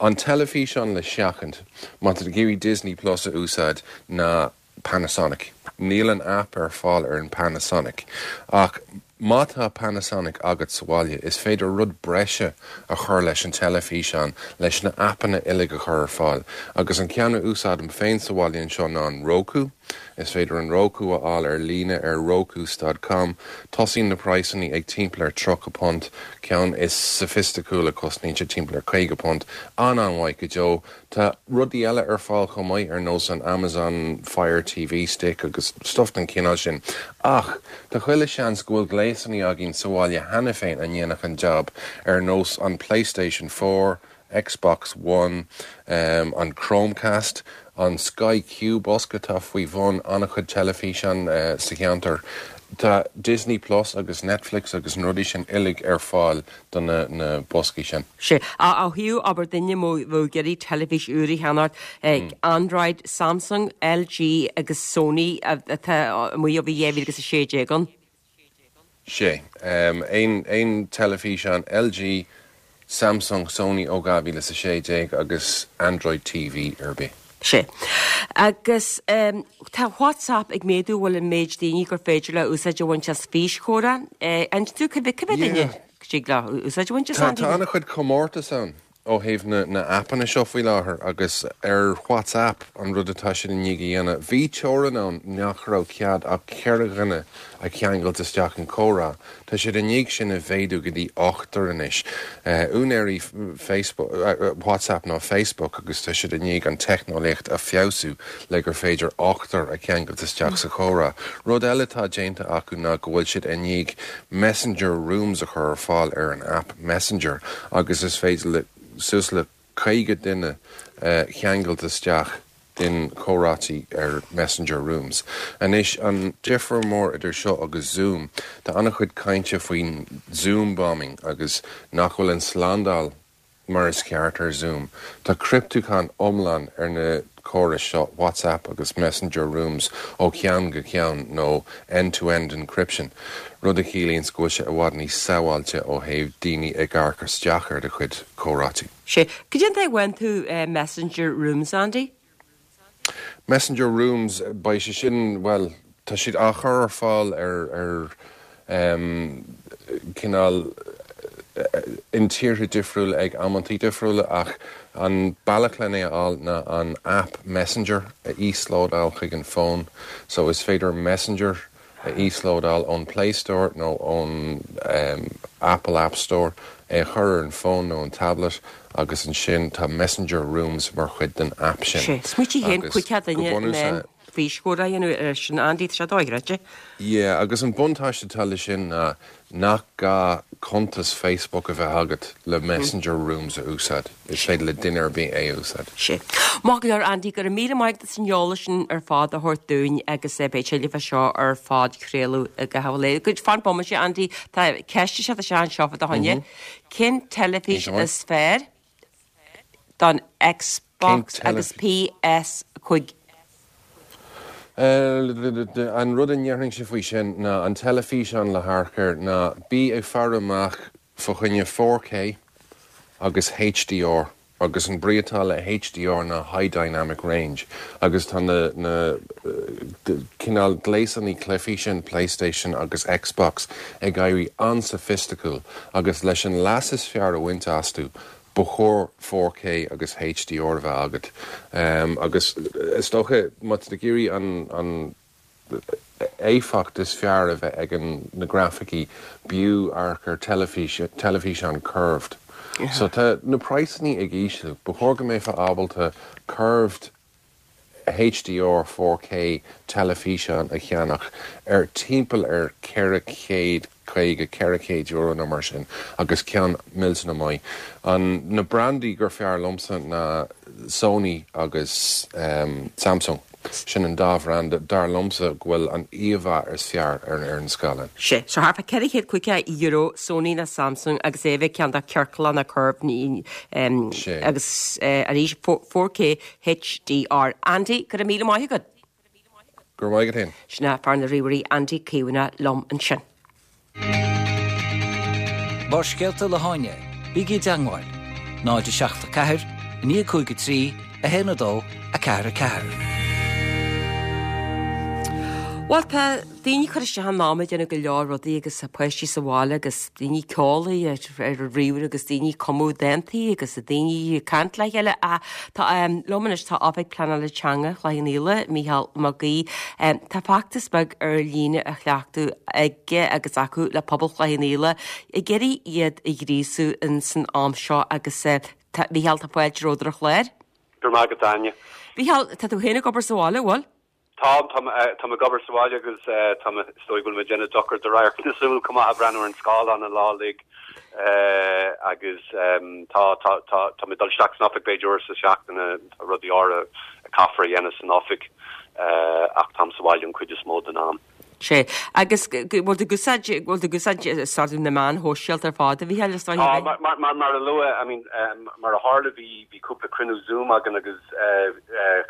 An teilifíseán le seachaint, má tá tú ag iarraidh Disney Plus a úsáid, ná Panasonic. Níl an aip ar fáil ar an Panasonic. Ach má tá Panasonic agat sa bhaile, is féidir rud breise a chur leis an teilifíseán leis na aipeanna uilig a chur ar fáil. Agus an ceann a úsáidim féin sa bhaile anseo ná an Roku. Is féidir an Roku a fháil ar líne ar rokus dot com. Tosaíonn na praghsanna ag timpeall ar £30. Ceann is soifisticiúla cosnaíonn sé timpeall ar £50. An-an-mhaith go deo. Tá rudaí eile ar fáil chomh maith ar nós an Amazon Fire TV Stick agus stuff den chineál sin. Ach tá chuile sheans go bhfuil gléasanna againn sa bhaile cheana féin a ndéanfadh an jab, ar nós an PlayStation 4, Xbox One, an Chromecast, an Sky Q bosca atá faoi bhun an-chuid teilifíseán sa cheantar. Tá Disney Plus agus Netflix agus na rudaí sin uilig ar fáil do na boscaí sin. Sea. Ó thaobh, abair, duine a bheadh ag iarraidh teilifís úr a cheannacht, Android, Samsung, LG agus Sony atá amuigh ó bhí 2016 ann. Sea. Aon teilifíseán LG, Samsung, Sony ó 2016 agus Android TV ar bith. Sea. Agus tá WhatsApp ag méadú, bhfuil an méid daoine gur féidir leo úsáid a bhaint as físchomhrá. An tú cibé duine go dtig leo úsáid a bhaint as Tá an-chuid comórtas ann ó thaobh na n-aipeanna seo faoi láthair agus ar WhatsApp an rud atá siad i ndiaidh a dhéanamh, bhí teorainn ann nach raibh cead ach 4 dhuine a cheangailt isteach in comhrá. Tá siad i ndiaidh sin a mhéadú go dtí ochtar anois. Úinéirí Facebook, WhatsApp ná Facebook agus tá siad i ndiaidh an teicneolaíocht a feabhsú le gur féidir ochtar a cheangailt isteach sa chomhrá. Rud eile atá déanta acu ná go bhfuil siad i ndiaidh Messenger Rooms a chur ar fáil ar an aip Messenger agus is féidir le suas le 50 duine a cheangailt isteach in comhráití ar Messenger Rooms. Anois, an difear mór idir seo agus Zoom, tá an-chuid cainte faoin Zoom bombing agus nach bhfuil an slándáil mar is ceart ar Zoom. Tá criptiúchán iomlán ar na córais seo, WhatsApp agus Messenger Rooms, ó cheann go ceann, nó end-to-end encryption, rud a chiallaíonns go bhfuil sé i bhfad níos sábháilte ó thaobh daoine ag amharc isteach ar do chuid comhráití. Sea. Cad é an dóigh a bhfaigheann tú Messenger Rooms, Andy? Messenger Rooms, beidh sé sin, bhuel, tá siad á chur ar fáil ar, ar em, cineál, in tíortha difriúla ag amantaí difriúla ach an bealach len é a fháil ná an aip Messenger a íoslódáil chuig an bhfón. So is féidir Messenger a íoslódáil ón Play Store nó ón Apple App Store, é a chur ar an bhfón nó an tablet agus ansin tá Messenger Rooms mar chuid den aip sin. Sea, smaoitigh féin, Agus 50 go duine in bunúsach. ann físchomhrá a dhéanamh air sin, Andy, tá sé dochreidte. Yeah, agus an buntáiste atá le sin ná nach gá cuntas Facebook a bheith agat le Messenger Rooms a úsáid. Is féidir le duine ar bith é a úsáid. Sea. Maith go leor, Andy, go raibh míle maith agat as an eolas sin ar fad a thabhairt dúinn agus beidh tuilleadh fá seo ar phodchraoladh i gcaitheamh an lae. Fan bomaite, Andy, tá ceist ag teacht isteach anseo fá do choinne. Cén teilifís is fearr don Xbox agus PS5? An rud a ndéarfainnse faoi sin ná an teilifíseán le hamharc air ná bí ag faire amach fá choinne 4K agus HDR agus an brí atá le HDR ná High Dynamic Range agus tá na na cineál gléasanna cluichí sin, PlayStation agus Xbox, ag éirí an-soifisticiúil agus leis an leas is fearr a bhaint astu ba chóir 4K agus HDR a bheith agat. Agus is dócha má tá tú ag iarraidh an an éifeacht is fearr a bheith ag na grafaicí, b'fhiú amharc ar teilifís, teilifíseán curved. So tá na praghsanna ag ísliú. Ba chóir go mbeifeá ábalta curved HDR 4K teilifíseán a cheannach ar timpeall ar 450, €400 nó mar sin agus ceann millteanach maith. An, na brandaí gur fearr liomsa ná Sony agus Samsung. Sin an dá bhranda, dar liomsa, go bhfuil an íomhá is fearr ar an scáileán. Sea, so thart fá €450, Sony nó Samsung agus é a bheith ceann de ciorclach nó curved agus arís 4K HDR. Andy, go raibh míle maith agat. Go raibh maith agat féin. Sin é fear na ríomhairí Andy Caomhánach liom ansin. Barrscéalta le hÁine, bígí i dteangmháil, 0 7 4 9 5 3 1 2 4 4. Bhuel, tá daoine ag cur isteach an am ag déanamh go leor rudaí agus tá páistí sa bhaile agus daoine ag ceol ar ar an ríomhaire agus daoine ag cumadh dántaí agus daoine ag caint le chéile. Ach tá liom anois tá Oifig Pleanála Teanga Chloich Cheann Fhaola, Mícheál Mac Aoidh. Tá feachtas beag ar líne á chleachtadh aige agus acu le pobal Chloich Cheann Fhaola ag iarraidh iad a ghríosú in san am seo agus tá, Mícheál, tá fáilte romhat ar an chlár. Go raibh maith agat, Áine. Mícheál, tá tú féin ag obair sa bhaile, an bhfuil? Tá, táim ag obair sa bhaile agus tá mé, is dóigh go bhfuil mé ag déanamh dochar do radharc na súl chomh maith ag breathnú ar an scáileán an lá uilig agus tá, tá, tá, tá mé ag dul isteach san oifig b'fhéidir uair sa seachtain, tá rudaí áirithe a caithfear a dhéanamh san oifig ach táim sa bhaile an chuid is mó den am. Sea. Agus bhfuil tú ag úsáid, bhfuil tú ag úsáid sort of na meáin shóisialta ar fad, a Mhícheáil, is dóigh? Tá, mar, mar, mar a luadh, I mean, mar a tharla bhí, bhí cúpla cruinniú Zoom againn agus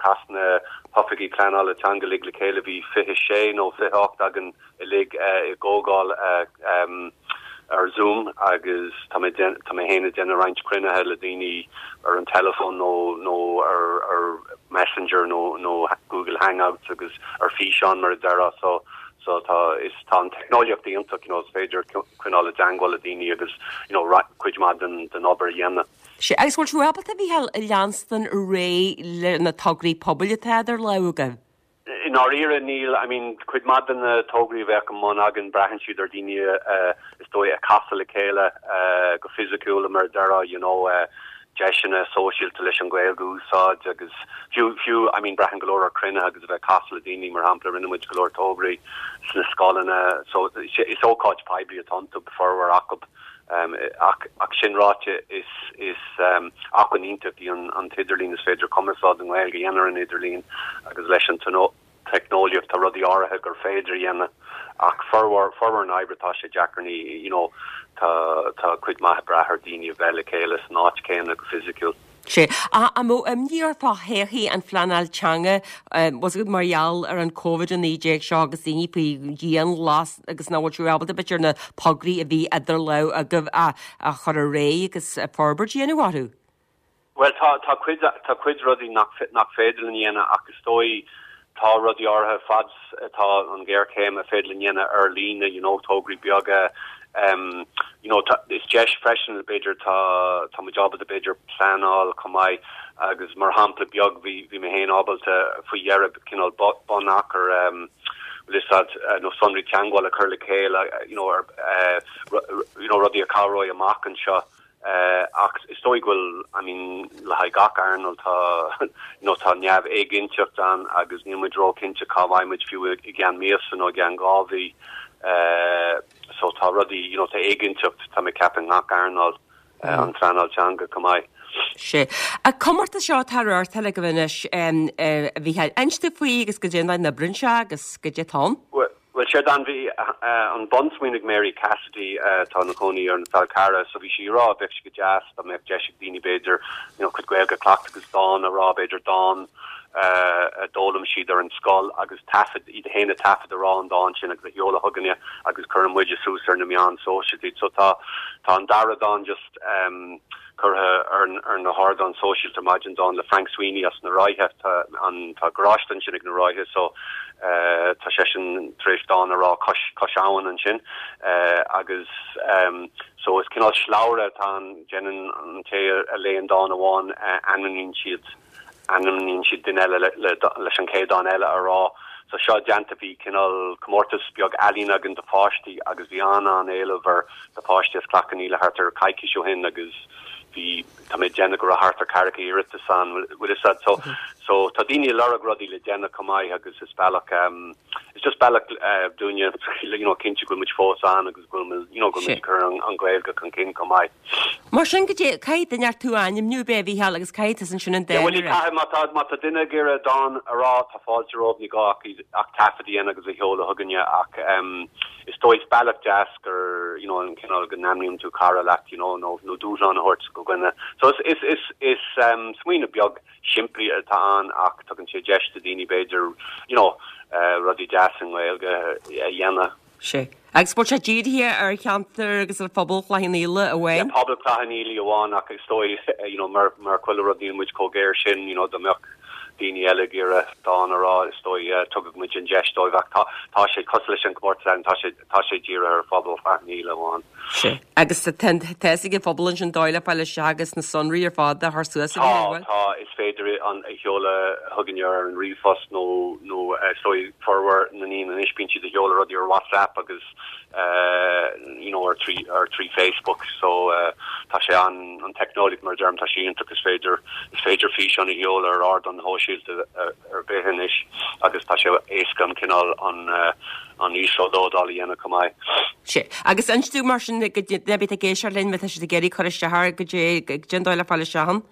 chas na hoifigigh pleanála teanga uilig le chéile, bhí 26 nó 28 againn uilig i gcomhdháil ar Zoom agus tá mé, tá mé féin ag déanamh roinnt cruinnithe le daoine ar an teileafón nó, nó ar, ar Messenger nó, nó Google Hangouts agus ar físeán mar a déarfá so, so tá, is, tá an teicneolaíocht iontach, you know, is féidir coinneáil i dteangmháil le daoine agus, you know, cuid mhaith den, den obair a dhéanamh. Sea, agus bhfuil sibh ábalta, a Mhícheáil, leanstan ar aghaidh le na tograí pobail atá idir lámha agaibh? I ndáiríre níl, I mean, cuid mhaith de na tograí a bheadh i mbun againn braitheann siad ar daoine is dóigh ag casadh le chéile go fisiciúil mar a déarfá, you know, deiseanna sóisialta leis an Ghaeilge a úsáid agus fiú, fiú, I mean, braitheann go leor ar chruinnithe agus a bheith ag casadh le daoine, mar shampla, rinne muid go leor tograí sna scoileanna so is ócáid poiblí atá iontu, formhór acu. Ach, ach sin ráite, is, is acmhainn iontach í an, an t-idirlíon, is féidir cumarsáid i nGaeilge a dhéanamh ar an idirlíon agus leis an teicneolaíocht tá rudaí áirithe gur féidir a dhéanamh ach formhór, formhór na oibre tá sé deacair, ní, you know, tá, tá cuid maith ag brath ar daoine a bheith le chéile san áit chéanna go fisiciúil. Sea. An mbeadh imní ort fá thodhchaí an phleanáil teanga, bhfuil a fhios agat mar gheall ar an Covid-19 seo agus daoine faoi dhianghlas agus nach bhfuil sibh ábalta b'fhéidir na tograí a bhí idir lámha agaibh a chur ar aghaidh agus forbairt a dhéanamh orthu? Bhuel, tá, tá cuid, tá cuid rudaí nach, nach féidir linn a dhéanamh ach is dóigh tá rudaí áirithe fad is atá an ghéarchéim a féidir linn dhéanamh ar líne, you know, tograí beaga, em, you know, tá, is deis freisin b'fhéidir tá, tá muid ábalta b'fhéidir pleanáil chomh maith agus mar shampla beag bhí, bhí mé féin ábalta faoi dheireadh cineál bunachar, em, bhfuil fhios a'd, nó sonraí teagmhála a chur le chéile, you know, ar, eh, you know, rudaí a chabhróidh amach anseo. Ach is dóigh go bhfuil, I mean, le haghaidh gach earnáil tá, you know, tá neamhéiginnteacht ann agus níl muid róchinnte cá mbeidh muid fiú i gceann míosa nó i gceann 2 mhí. So tá rudaí, you know, tá éiginnteacht, tá mé ag ceapadh i ngach earnáil, an phleanáil teanga chomh maith. Sea. An comórtas seo atá á reáchtáil agaibh anois, a Mhícheáil, inis dúinn faoi agus goidé an dóigh a n-oibríonn sé agus goidé atá ann. Bhuel, Bhuel, séard an, bhí an bunsmaoineamh ag Mary Cassidy, atá ina cónaí ar an Fál Carrach, so bhí sí ag rá bheadh sé go deas dá mbeadh deis ag daoine b'fhéidir, you know, cuid Gaeilge a chleachtadh agus dán a rá, b'fhéidir dán a d'fhoghlaim siad ar an scoil agus taifead, iad féin a taifead a rá an dán sin agus a sheoladh chugainne agus cuireann muide suas ar na meáin sóisialta iad. So tá, tá an dara dán just em. curtha ar na hardáin sóisialta ar maidin, dán le Frank Sweeney as na Ráithe. Tá an tá garáiste ansin ag na Ráithe so tá seisean tar éis dán a rá cois cois abhann ansin agus so is cineál slabhra atá ann, déanann an té a léann dán amháin ainmníonn siad ainmníonn siad duine eile leis an chéad dán eile a rá. So seo déanta, bhí cineál comórtas beag ealaíne againn do pháistí agus bhí an-an-éileamh air do pháistí as Cloich Cheann Fhaola thart ar coicís ó shin agus bhí, tá mé ag déanamh go raibh thart ar ceathracha iarratas ann, bhfuil fhios a'd. So, so tá daoine ag lorg rudaí le déanamh chomh maith agus is bealach, is just bealach dúinne, you know, cinntiú go bhfuil muid fós ann agus go bhfuil, you know, go bhfuil muid ag cur an Ghaeilge chun cinn chomh maith. Mar sin, goidé, caithfidh duine ort tú a ainmniú, ab é, a Mhícheáil, agus caithfidh tusa ansin an dán a rá. Caithfidh, má tá, má tá duine ag iarraidh dán a rá, tá fáilte rompu, ní gá ach iad, ach taifead a dhéanamh agus a sheoladh chugainne ach em is dóigh, is bealach deas gur, you know, an cineál go n-ainmníonn tú cara leat, you know, nó, nó dúshlán a thabhairt go dhuine. So is, is, is, is em smaoineamh beag simplí atá ann ach tugann sé deis do daoine b'fhéidir, you know, eh rudaí deas i nGaeilge a dhéanamh. Sea. Agus bhfuil sé dírithe ar cheantar agus ar phobal Chloich Cheann Fhaola amháin? Yeah, pobal Chloich Cheann Fhaola amháin ach is dóigh, you know, mar, mar chuile rud níl muid chomh géar sin, you know, dá mbeadh daoine eile ag iarraidh dán a rá, is dóigh, tugadh muid an deis dóibh ach tá, tá sé cosúil leis an gcomórtas ann, tá sé, tá sé dírithe ar phobal Chloich Cheann Fhaola amháin. Sea. Agus tá, tá fhios ag an phobal ansin an dóigh le fáil isteach agus na sonraí ar fad a chur suas a Tá, bhfuil? tá, is féidir an a sheoladh chugainn ar an ríomhphost nó, nó is dóigh formhór na ndaoine anois bíonn siad ag sheoladh rudaí ar WhatsApp agus you know ar trí, ar trí Facebook so tá sé an, an teicneolaíocht mar a deirim tá sé iontach is féidir, is féidir físeán a sheoladh ar ardán shóisialta ar bith anois agus tá sé éasca an cineál an, an íoslódáil a dhéanamh chomh maith. Sea. Agus inis dúinn mar sin, do dhuine ar bith atá ag éisteacht linn, má tá siad ag iarraidh cur isteach air, goidé, goidé an dóigh le fáil isteach ann?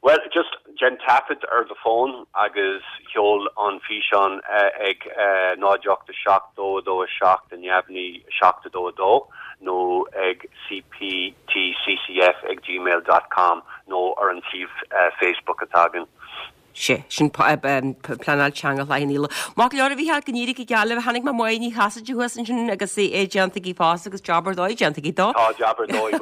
Bhuel, just déan taifead ar do fón agus sheol an físeán ag 0 8 7 2 2 7 neamhní 7 2 2 nó ag cptccf ag gmail dot com nó ar an suíomh Facebook atá againn. Sea, sin pleanáil teanga Chloich Cheann Fhaola. Maith go leor a Mhícheáil, go n-éirí go geal libh. Chonaic mé Máire Ní Chasaide thuas ansin agus é déanta aici fosta agus jab ar dóigh déanta aici dó. Tá jab ar dóigh,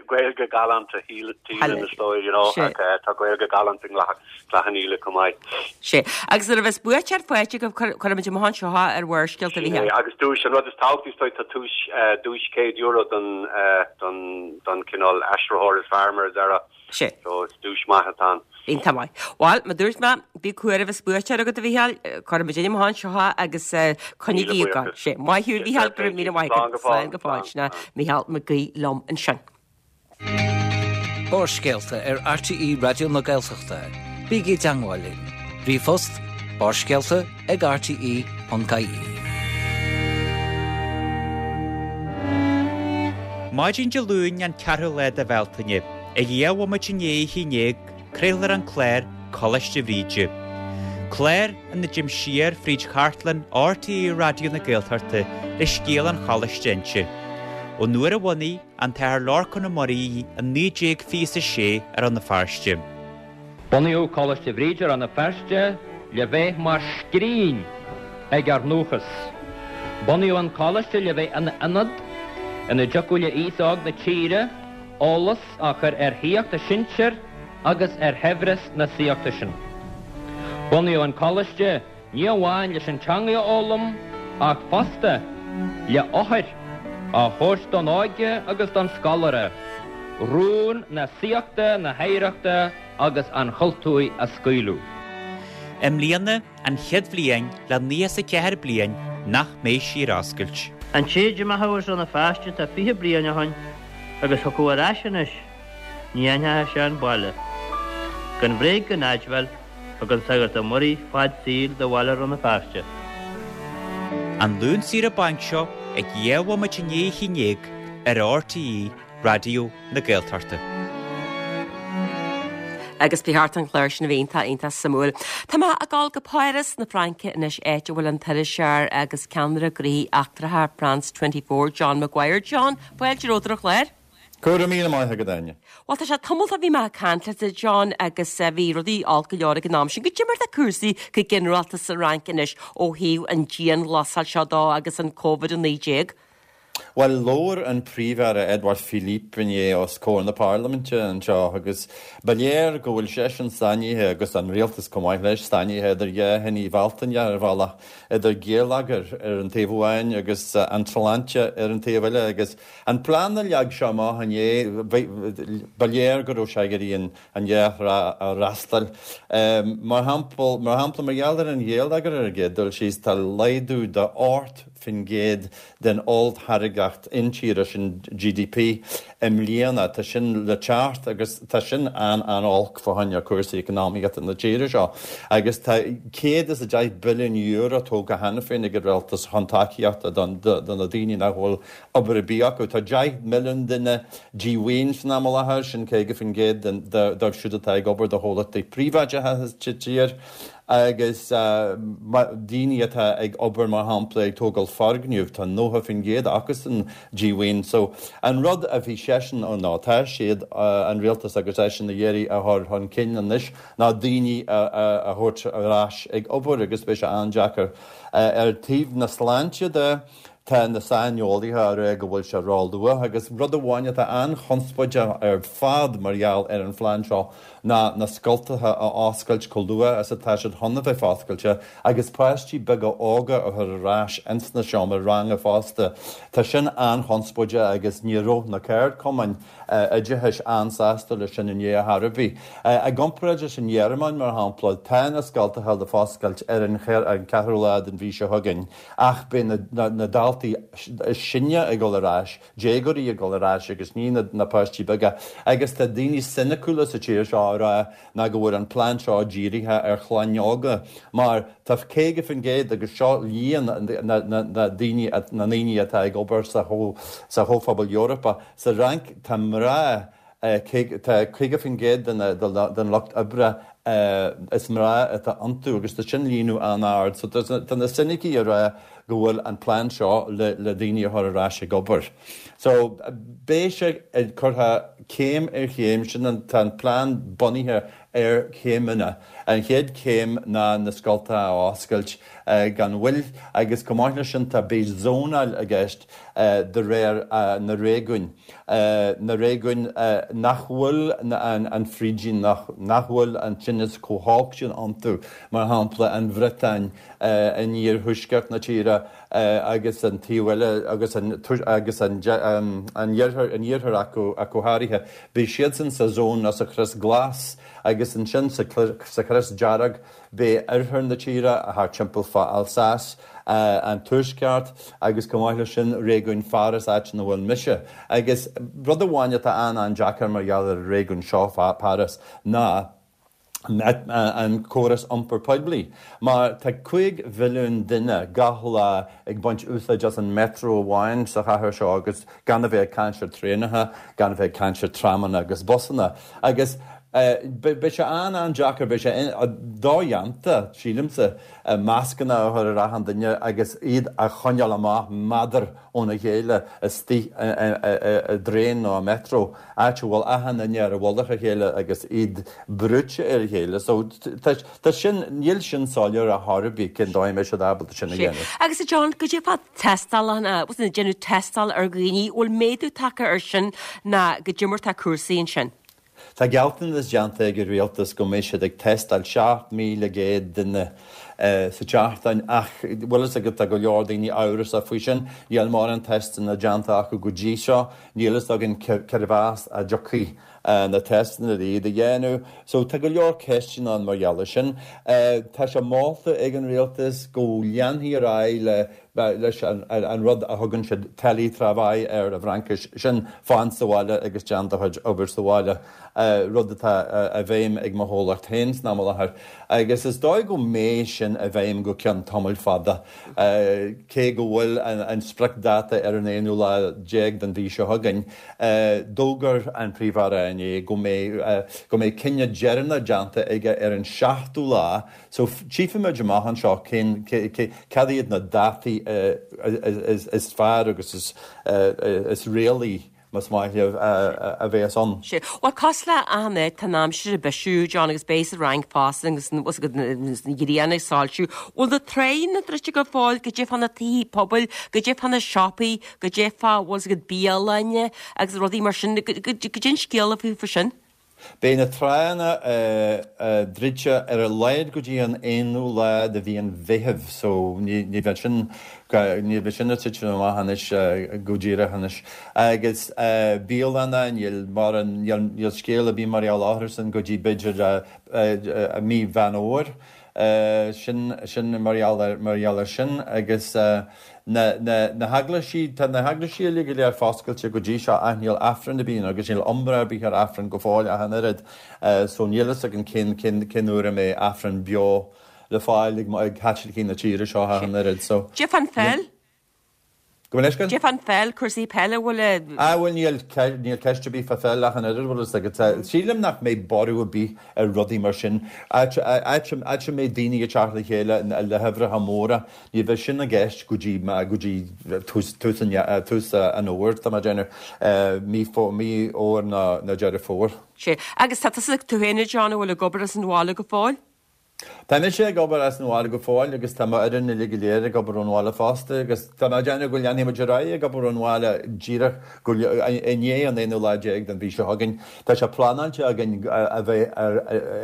Gaeilge galánta shílim is dóigh, you know, ach tá Gaeilge galánta i gCloich Cheann Fhaola chomh maith. Sea, agus nuair a bheas buaiteoir faighte agaibh, cuirfimid amach anseo ar Bharrscéalta a Mhícheáil. Agus duais, an rud is tábhachtaí is dóigh, tá duais, duais €100 don, don, don cineál aistritheoir is fearr mar a déarfá. Sea. So is duais maith atá ann. Iontach maith. Bhuel, mar dúirt mé, bí cúramach is buaiteoir agat a Mhícheáil, cuirfimid amach anseo é agus coinnigí ag gabháil. Sea. Maith thú a Mhícheáil, go raibh míle maith agat. Slán go fóill. Sin é Mícheál Mac Aoidh liom ansin. Barrscéalta ar RTÉ Raidió na Gaeltachta. Bígí i dteangmháil linn. Ríomhphost, barrscéalta ag rte.ie. Maidin Dé Luain an ceathrú lá de Bhealtaine, ag 12 bhomaite i ndiaidh a 11, craolfar an clár Coláiste Bhríde. Clár ina dtéim siar fríd chartlann RTÉ Raidió na Gaeltachta le scéal an choláiste a inse. Ón uair a bhunaigh an tAthair Lorcán Ó Muirí í i 1926 i Rann na Feirste. Bunaíodh Coláiste Bhríde Rann na Feirste le bheith mar scrín ag ár ndúchas. Bunaíodh an Coláiste le bheith ina ionad ina dtiocfadh le aos óg na tíre eolas a chur ar shaíocht a sinsir agus ar shaibhreas na saíochta sin. Bunaíodh an Coláiste ní amháin leis an teangaidh a fhoghlaim ach fosta le eochair a thabhairt don óige agus don scoláire, rún na saíochta, na hoidhreachta agus an chultúir a scaoileadh. I mbliana an chéad bhliain le 94 bliain nach mbeidh sí ar oscailt. An té a d'imeochadh as Rann na Feirste tá 20 bliain ó shoin agus thiocfadh ar ais anois, ní aithneochadh sé an baile. Gan bhréig gan aidbheáil, Thug an Sagart Ó Muirí fad saoil do bhaile Rann na Feirste. An Luan saoire bainc seo ag 12 bhomaite i ndiaidh a 11 ar RTÉ Raidió na Gaeltachta. Agus ba cheart an clár sin a bheith iontach, iontach suimiúil. Tá mé ag dul go Páras na Fraince anois, áit a bhfuil an t-iriseoir agus ceannaire gnóthaí eachtracha France 24, John Maguire. John, fáilte romhat ar an chlár. Go raibh míle maith agat, Áine. Bhuel, tá sé tamall ó bhí mé ag caint leat, a John, agus bhí rudaí olc go leor ag an am sin. Goidé mar atá cúrsaí go ginearálta sa Fhrainc anois ó thaobh an dianghlasáil seo dó agus an Covid-19? Bhuel, labhair an Príomh-Aire Edouard Philippe inné os comhair na Parlaiminte anseo agus ba léir go bhfuil seisean sáinnithe, agus an rialtas chomh maith leis, sáinnithe idir dhá thine Bhealtaine ar bhealach, idir géilleagar ar an taobh amháin agus an tsláinte ar an taobh eile agus An plean a leag sé amach inné, ba léir go raibh sé ag iarraidh an dhá thrá a fhreastal. Mar shampla, mar shampla, mar gheall ar an ghéilleagar ar an gcéad dul síos, tá laghdú de 8% den olltáirgeacht intíre, sin GDP, i mbliana. Tá sin le teacht agus tá sin an-an-olc fá choinne cúrsaí eacnamaíochta na tíre seo. Agus tá €110 billiún tógtha cheana féin ag an rialtas chun tacaíochta do na daoine nach bhfuil obair ar bith acu. Tá 10 milliún duine díomhaoin san am i láthair, sin 50% dóibh siúd atá ag obair do chomhlachtaí príobháideacha sa tír, agus daoine atá ag obair, mar shampla, ag tógáil foirgneamh, tá 90% acusan díomhaoin. So, an rud a bhí seisean, nó atá siad, an rialtas agus eisean, ag iarraidh a chur chun cinn anois ná daoine a thabhairt ar ais ag obair agus beidh sé an-deacair. Ar taobh na sláinte de. Tá na saineolaithe á rá go bhfuil sé ró-luath agus rud amháin atá an-chonspóideach ar fad mar gheall ar an phlean seo ná na scoltacha a oscailt chomh luath is atá siad chun a bheith foscailte agus páistí beaga óga a chur ar ais ins na seomra ranga fosta. Tá sin an-chonspóideach agus ní raibh na ceardchumainn oideachais an-sásta leis sin inné ar chor ar bith. I gcomparáid leis an nGearmáin, mar shampla, tá na scoltacha le foscailt ar an cheathrú lá den mhí seo chugainn ach beidh na daltaí is sine ag dul ar ais, déagóirí ag dul ar ais agus ní na páistí beaga. Agus tá daoine soiniciúla sa tír seo á rá ná go bhfuil an plean seo dírithe ar chlainn óga mar tá 50% agus seo líon na ndaoine atá ag obair sa Chomhphobal Eorpach, Sa Fhrainc tá mná, tá 50% den lucht oibre is mná atá iontu agus tá sin líonadh an-ard. So tá na soinicigh ag rá go bhfuil an plean seo le daoine a chur ar ais ag obair. So beidh sé curtha céim ar chéim, sin an, tá an plean bunaithe ar chéimeanna. An chéad chéim ná na scoltacha a oscailt gan mhoill agus chomh maith leis sin tá beidh zónáil i gceist de réir na réigiúin, na réigiúin nach bhfuil an frídín, nach bhfuil an tinneas chomh holc sin iontu, mar shampla an Bhriotáin in iarthuaisceart na tíre agus an taobh eile agus an agus an iarthar, an iarthar ach go háirithe. Beidh siadsan sa zón nó sa chrios glas agus ansin sa chrios dearg beidh oirthear na tíre, thart timpeall fá Alsace, an tuaisceart agus chomh maith leis sin réigiún Pháras, áit ina bhfuil mise. Agus rud amháin atá an-an-deacair mar gheall ar an réigiún seo, Páras, ná an córas iompair poiblí. Mar tá 5 mhilliún duine gach lá ag baint úsáid as an metro amháin sa chathair seo agus gan a bheith ag caint ar traenacha, gan a bheith ag caint ar tramanna agus busanna. Agus beidh sé an-an-deacair, beidh sé dodhéanta, sílimse, mascanna a chur ar achan duine agus iad a choinneáil amach méadar óna chéile istigh i dtraein nó i metro, áit a bhfuil achan duine ar mhullach a chéile agus iad brúite ar a chéile. So tá sin, níl sin soiléir ar chor ar bith cén dóigh a mbeidh siad ábalta sin a dhéanamh. Agus a John, goidé fá tástálacha, bhfuil ag déanamh tástáil ar dhaoine, bhfuil méadú tagtha ar sin ná goidé mar tá cúrsaí ansin? Tá gealltanas déanta ag an rialtas go mbeidh siad ag tástáil 7,100 duine sa tseachtain ach bhfuil fhios agat tá go leor daoine amhrasach faoi sin. Níl mórán teisteanna déanta acu go dtí seo. Níl fhios againn cérbh as a dtiocfaidh na teisteanna le iad a dhéanamh. So tá go leor ceisteanna ann mar gheall air sin. Tá sé molta ag an rialtas go leanfaí ar aghaidh le leis an rud a thugann siad télétravail air i bhFraincis, sin fan sa bhaile agus déan do chuid obair sa bhaile, rud atá i bhfeidhm ag mo chomhlacht féin san am i láthair. Agus is dóigh go mbeidh sin i bhfeidhm go ceann tamaill fada, cé go bhfuil an spriocdháta ar an aonú lá déag den mhí seo chugainn. D'fhógair an Príomh-Aire inné go mbeidh go mbeidh cinneadh deireanach déanta aige ar an seachtú lá So, tchífimid amach anseo cén, cad iad na dátaí is fearr agus is réalaí, más maith libh, a bheas ann. Sea. Bhuel, cosúil le achan áit, tá an aimsir ag bisiú, John, agus beidh sa Fhrainc fosta agus an ghrian ag soilsiú. Bhfuil na tráigheanna druidte go fóill, goidé fá na tithe pobail, goidé fá na siopaí, goidé fá, bhfuil 's agat, bialanna agus rudaí mar sin, goidé an scéal faoi sin? Beidh na tránna druidte ar a laghad go dtí an aonú lá de mhí an Mheithimh so ní bheidh sin, ní bheidh sin ag titim amach anois go díreach anois. Agus bialanna, níl mórán, níl scéal ar bith mar gheall orthu sin go dtí b'fhéidir mí Mheán Fhómhair. Sin, sin mar gheall ar, mar gheall air sin agus na, na, na heaglaisí, tá na heaglaisí uilig go léir foscailte go dtí seo ach níl Aifreann ar bith ann agus níl iomrá ar bith ar Aifreann go fóill ach an oiread so níl fhios againn cén, cén, cén uair a mbeidh Aifreann beo le fáil ag, ag Caitlicigh na tíre seo ach an oiread so. Goidé fán pheil? Gabh mo leithscéal? Goidé fán pheil, cúrsaí peile, bhfuil a. Ah bhuel níl, níl ceist ar bith fá pheil ach an oiread, bhfuil fhios agat. Sílim nach mbeidh borradh ar bith ar rudaí mar sin. Áit, áit, áit a mbeidh daoine ag teacht le chéile le huimhreacha móra, ní bheidh sin i gceist go dtí, go dtí tús, tús an, tús an fhómhair, tá mé ag déanamh, mí, mí Fhómhair nó, nó Deireadh Fómhair. Sea. Agus tá tusa, tú féin a John, an bhfuil ag obair as an bhaile go fóill? Tá mise ag obair as an bhaile go fóill agus tá m'fhoireann uilig go léir ag obair ón bhaile fosta agus tá mé ag déanamh go leanfaidh muid ar aghaidh ag obair ón bhaile díreach go i ndiaidh an aonú lá déag den mhí seo chugainn. Tá sé pleanáilte againn a bheith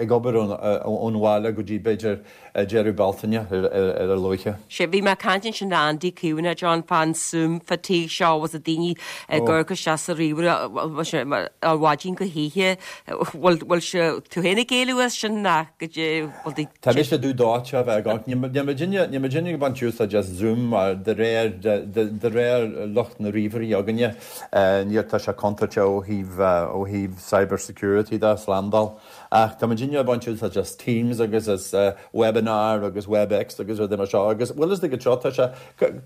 ag obair ón bhaile go dtí b'fhéidir deireadh Bealtaine ar a luaithe. Sea, bhí mé ag caint ansin le Andy Caomhánach, John, fán Zoom fatigue seo agus na daoine ag amharc isteach sa ríomhaire ó mhaidin go hoíche. Bhfuil, bhfuil sé, tú féin ag éalú as sin ná go dtí, bhfuil tú. Tá mise dubh dóite a bheith ag amharc. Níl muidinne, níl muidinne ag baint úsáid as Zoom mar de réir, de réir lucht na ríomhairí againne, níl, tá sé contúirteach ó thaobh, ó thaobh cyber security de, slándáil. Ach tá muidinne ag baint úsáid as Teams agus as Webinar agus Webex agus rudaí mar seo agus bhfuil fhios agat seo, tá sé,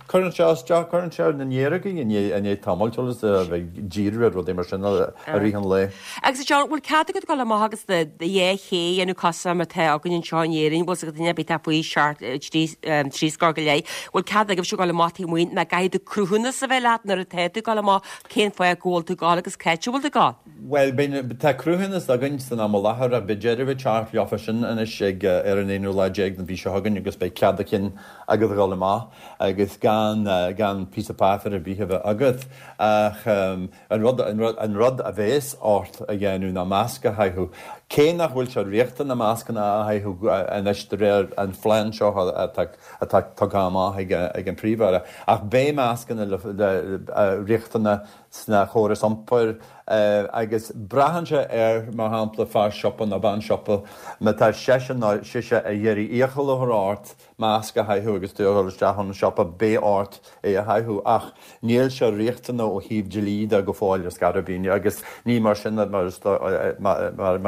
cuireann sé isteach, cuireann sé ar na néarógaí i ndiaidh tamaill, bhfuil fhios agat, a bheith ag díriú ar rudaí mar sin i rith an lae. Agus a John, bhfuil cead agat dul amach agus do dhá ché a dhéanamh cosúil mar atá againn anseo in Éirinn, bhfuil fhios agat duine ar bith atá faoi sheacht, trí scór go leith, bhfuil cead agaibhse dul amach taobh amuigh nó caithfidh tú cruthúnas a bheith leat nuair atá tú ag dul amach cén fáth go bhfuil tú ag dul agus cá háit a bhfuil tú ag dul? Bhuel, beidh, tá cruthúnas againn san am i láthair ach beidh deireadh ag teacht leofa sin anois ag, ar an aonú lá déag den mhí seo chugainn agus beidh cead a chinn agat a dhul amach agus gan, gan píosa páipéir ar bith a bheith agat. Ach an rud, an rud, an rud a bhéas ort a dhéanamh ná masc a chaitheamh. Cé nach bhfuil sé riachtanach mascanna a chaitheamh anois de réir an phlean seo atá, atá tugtha amach ag, ag an Príomh-Aire, ach beidh mascanna le, le, riachtanach sna chórais iompair agus braitheann sé ar, mar shampla, fear siopa nó bean siopa, má tá seisean nó sise ag iarraidh iachall a chur ort masc a chaitheamh agus tú ag dul isteach chun an siopa, beidh ort é a chaitheamh ach níl sé riachtanach ó thaobh dlí de go fóill ar scor ar bith agus ní mar sin mar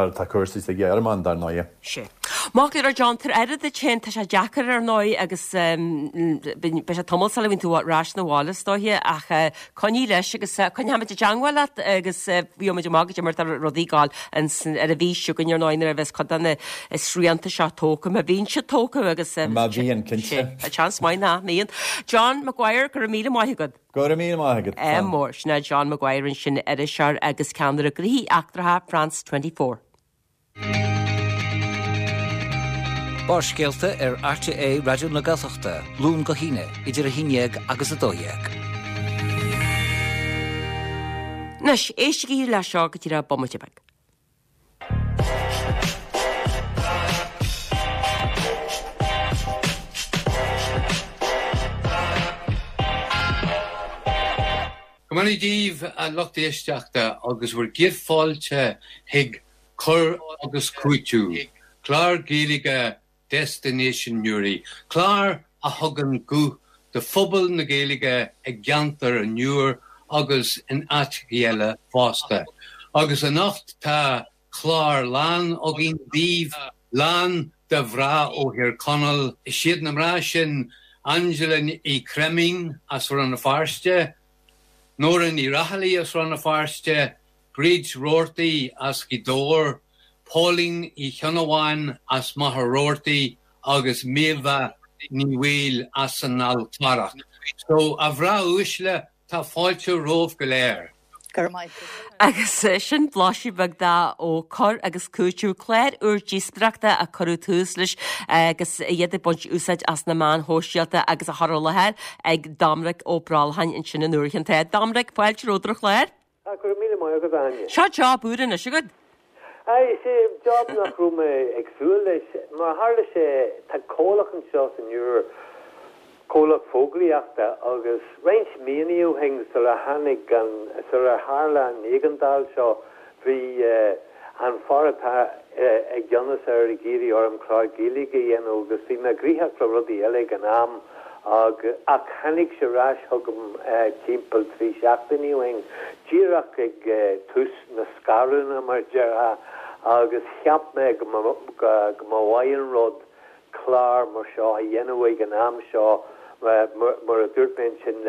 atá cúrsaí sa Ghearmáin, dar ndóighe. Sea. Maith go leor, John, tabhair aire duit féin, tá sé deacair ar ndóigh agus beidh sé tamall sula mbíonn tú ar ais 'na bhaile is dóiche ach Coinnigh leis agus coinneoimid i dteangmháil leat agus gheobhaimid amach goidé mar atá rudaí ag gabháil ar an mhí seo chugainn ar ndóigh nuair a bheas cuid de na srianta seo tógtha, má bhíonn siad tógtha agus Má bhíonn, cinnte. Tá seans maith nach mbíonn. John Maguire, go raibh míle maith agat. Go raibh míle maith agat. Ádh mór. Sin é John Maguire ansin, iriseoir agus ceannaire gnóthaí eachtracha France 24. Barrscéalta ar RTÉ Raidió na Gaeltachta, Luan go hAoine, idir 11 agus 12. Anois, éistigí leis seo go díreach bomaite beag. Go mbeannaí daoibh, a lucht éisteachta, agus bhur gcéad fáilte chuig Cur agus Cúiteamh, clár Gaeilge Destination Newry, clár a thugann guth do phobal na Gaeilge i gceantar an Iúir agus in áiteachaí eile fosta. Agus anocht tá clár lán againn daoibh, lán de mhná ó Thír Chonaill. Is iad na mná sin Angela Ní Chreimín as Rann na Feirste, Nóra Ní Raghallaigh as Rann na Feirste, Bríd Roarty as Gaoth Dobhair, Póilín Uí Chionnabháin as Machaire Rabhartaigh agus Méabha Ní Bhaoill as an Fhál Carrach. So, a mhná uaisle, tá fáilte romhaibh go léir. Go raibh maith agat. Agus sin blaiseadh beag de ó Cur agus Cúiteamh, clár úr díospóireachta a cuireadh tús leis agus iad ag baint úsáid as na meáin shóisialta agus á chur i láthair ag Doimnic Ó Brolcháin ansin an uair chéanna. Doimnic, fáilte romhat ar an chlár. Ah, go raibh míle maith agat, a Áine. Seo job úr anois agat. Aye, is é job nach raibh mé ag súil leis. Mar a tharla sé, tá comhlacht anseo san Iúr, comhlacht fógraíochta, agus roinnt míonna ó shin, sula tháinig an, sular tharla an éigeandáil seo, bhí an fear atá i gceannas air ag iarraidh orm clár Gaeilge a dhéanamh agus bhí mé gnoitheach le rudaí eile ag an am ach tháinig sé ar ais chugam timpeall 3 seachtainí ó shin, díreach ag tús na scarúna mar a déarfá, agus cheap mé go mba mhaith an rud clár mar seo a dhéanamh ag an am seo, mar a dúirt mé ansin,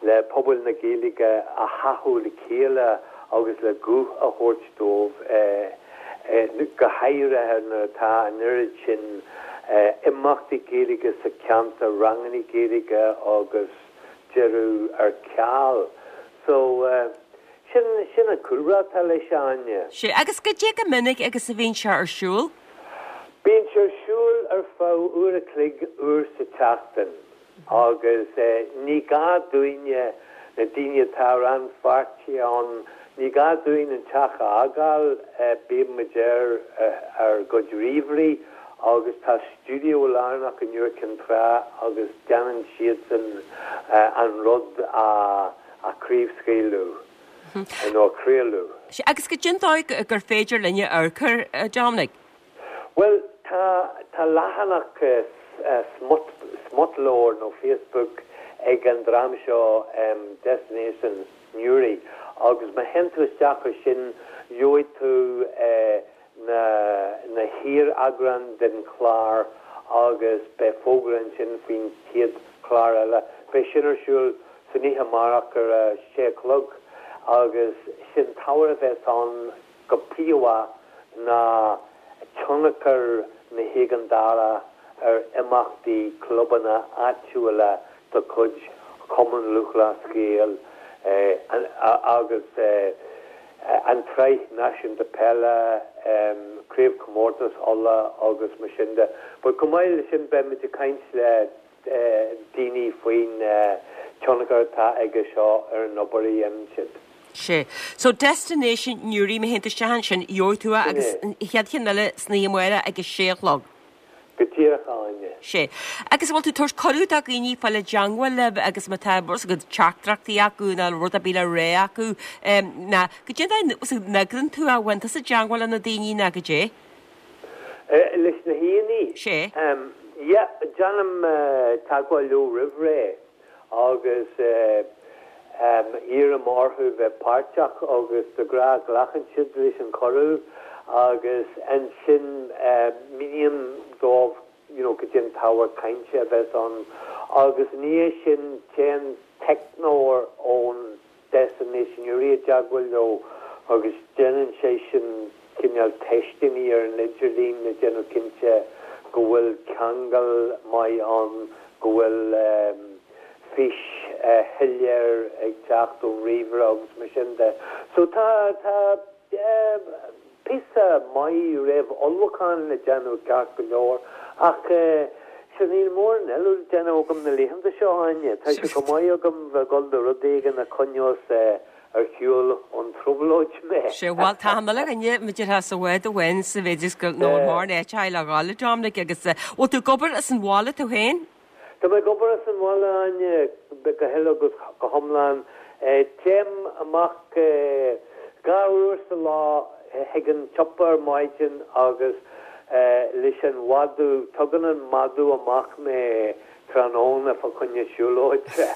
le pobal na Gaeilge a chothú le chéile agus le guth a thabhairt dóibh, go háirithe nuair atá an oiread sin imeachtaí Gaeilge sa cheantar, ranganna Gaeilge agus deireadh ar ceal. So, sin, sin an cúlra atá leis, a Áine. Sea, agus goidé chomh minic agus a bhíonn sé ar siúl? Bíonn sé ar siúl. ar feadh uair a chloig uair sa tseachtain agus ní gá dúinne, na daoine atá rannpháirteach ann, ní gá dúinn an teach a fhágáil, bíonn muid ar ár gcuid ríomhairí agus tá stiúideo lárnach in Iúr Cinn Trá agus déanann siadsan an rud a chraobhscaoileadh nó a chraoladh. Sea, agus goidé an dóigh gur féidir linne amharc air, a Dominic? Bhuel, tá, tá leathanach smut, smutleabhar nó Facebook ag an dream seo, Destination Newry, agus má théann tú isteach ar sin, gheobhaidh tú na, na hiar-eagráin den chlár agus beidh fógra ansin faoin chéad chlár eile. Beidh sin ar siúl san oíche amárach ar a sé a chlog agus sé'n t-ábhar a bheas ann go príomha ná tionchar na héigeandála ar imeachtaí clubanna áitiúla de chuid Chumann Lúthchleas Gael agus an tSraith Náisiúnta Peile, Craobhchomórtas Uladh agus mar sin de. But chomh maith leis sin beimid ag caint le daoine faoin tionchar atá aige seo ar an obair a dhéanann siad. Sea. So Destination Newry, má théann tú isteach ansin, gheobhaidh tú é agus an chéad cheann eile san oíche amárach ag a sé a chlog. Go díreach, a Áine. Sea. Agus an bhfuil tú ag tabhairt cuireadh do dhaoine fáil i dteangmháil libh agus má tá bhfuil a fhios agat teachtaireachtaí acu nó rud ar bith le rá acu, nó goidé an dóigh a n-eagraíonn tú é, an bhfuil tusa i dteangmháil le na daoine nó goidé? Leis na haíonna? Sea. Yeah, déanaim teagmháil leo roimh ré agus iarraim orthu bheith páirteach agus de ghnáth glacann siad leis an chuireadh agus ansin míním dóibh you know goidé an t-ábhar cainte a bheas ann agus ina dhiaidh sin téann teicneoir ón Destination Newry i dteagmháil leo agus déanann seisean cineál teisteanna ar an idirlíon le déanamh cinnte go bhfuil ceangal maith ann, go bhfuil fís shoiléir ag teacht ón ríomhaire agus mar sin de. So tá, tá píosa maith réamh-ullmhúcháin le déanamh ceart go leor ach sure níl mórán eile le déanamh agam na laethanta seo, a Áine. Tá sé go maith agam bheith ag dul do rud éigin a choinneos ar shiúl ón trioblóid mé. Sea, bhuel, tá an uile dhuine, mar a déarfá, sa bhád amháin sa mhéid is go nó an mórán áit le dhul, a Dominic, agus bhfuil tú ag obair as an bhaile tú féin? Tá mé ag obair as an bhaile, a Áine, go huile agus go hiomlán. Téim amach 2 uair sa lá chuig an tsiopa ar maidin agus leis an mhadadh, tugann an madadh amach mé tráthnóna fá choinne siúlóide.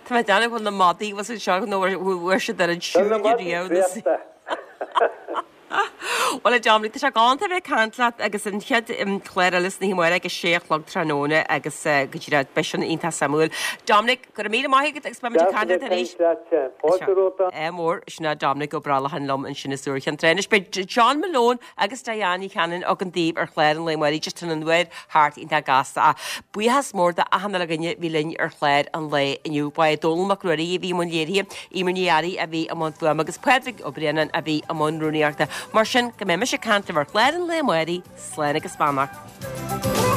Tá mé ag déanamh go bhfuil na madaí bhfuil siad seo nó bhfuair siad ar an Tá na siúl madaí riamh. traochta. Bhuel, a Dominic, tá sé galánta a bheith ag caint leat agus an chéad chlár eile san oíche amárach ag a sé a chlog tráthnóna agus go díreach beidh sin iontach suimiúil. Dominic, go raibh míle maith agat agus beidh muid ag caint leat arís. Fáilte romhat. Ádh mór, sin é Dominic Ó Brollacháin liom ansin as Iúr Chinn Trá. Anois beidh John Malone agus Diane Ní Chanainn againn daoibh ar chlár an lae amárach, just tá an uair thart iontach gasta. Ach buíochas mór do achan uile dhuine a bhí linn ar chlár an lae inniu. Ba é Dónall Mac Ruairí a bhí i mbun léirithe, Eimear Ní Fhearraigh a bhí i mbun fuaime agus Pádraig Ó Braonáin a bhí i mbun rúnaíochta. Mar sin, go mbeidh mise ag caint libh ar chlár an lae amárach, slán agus beannacht.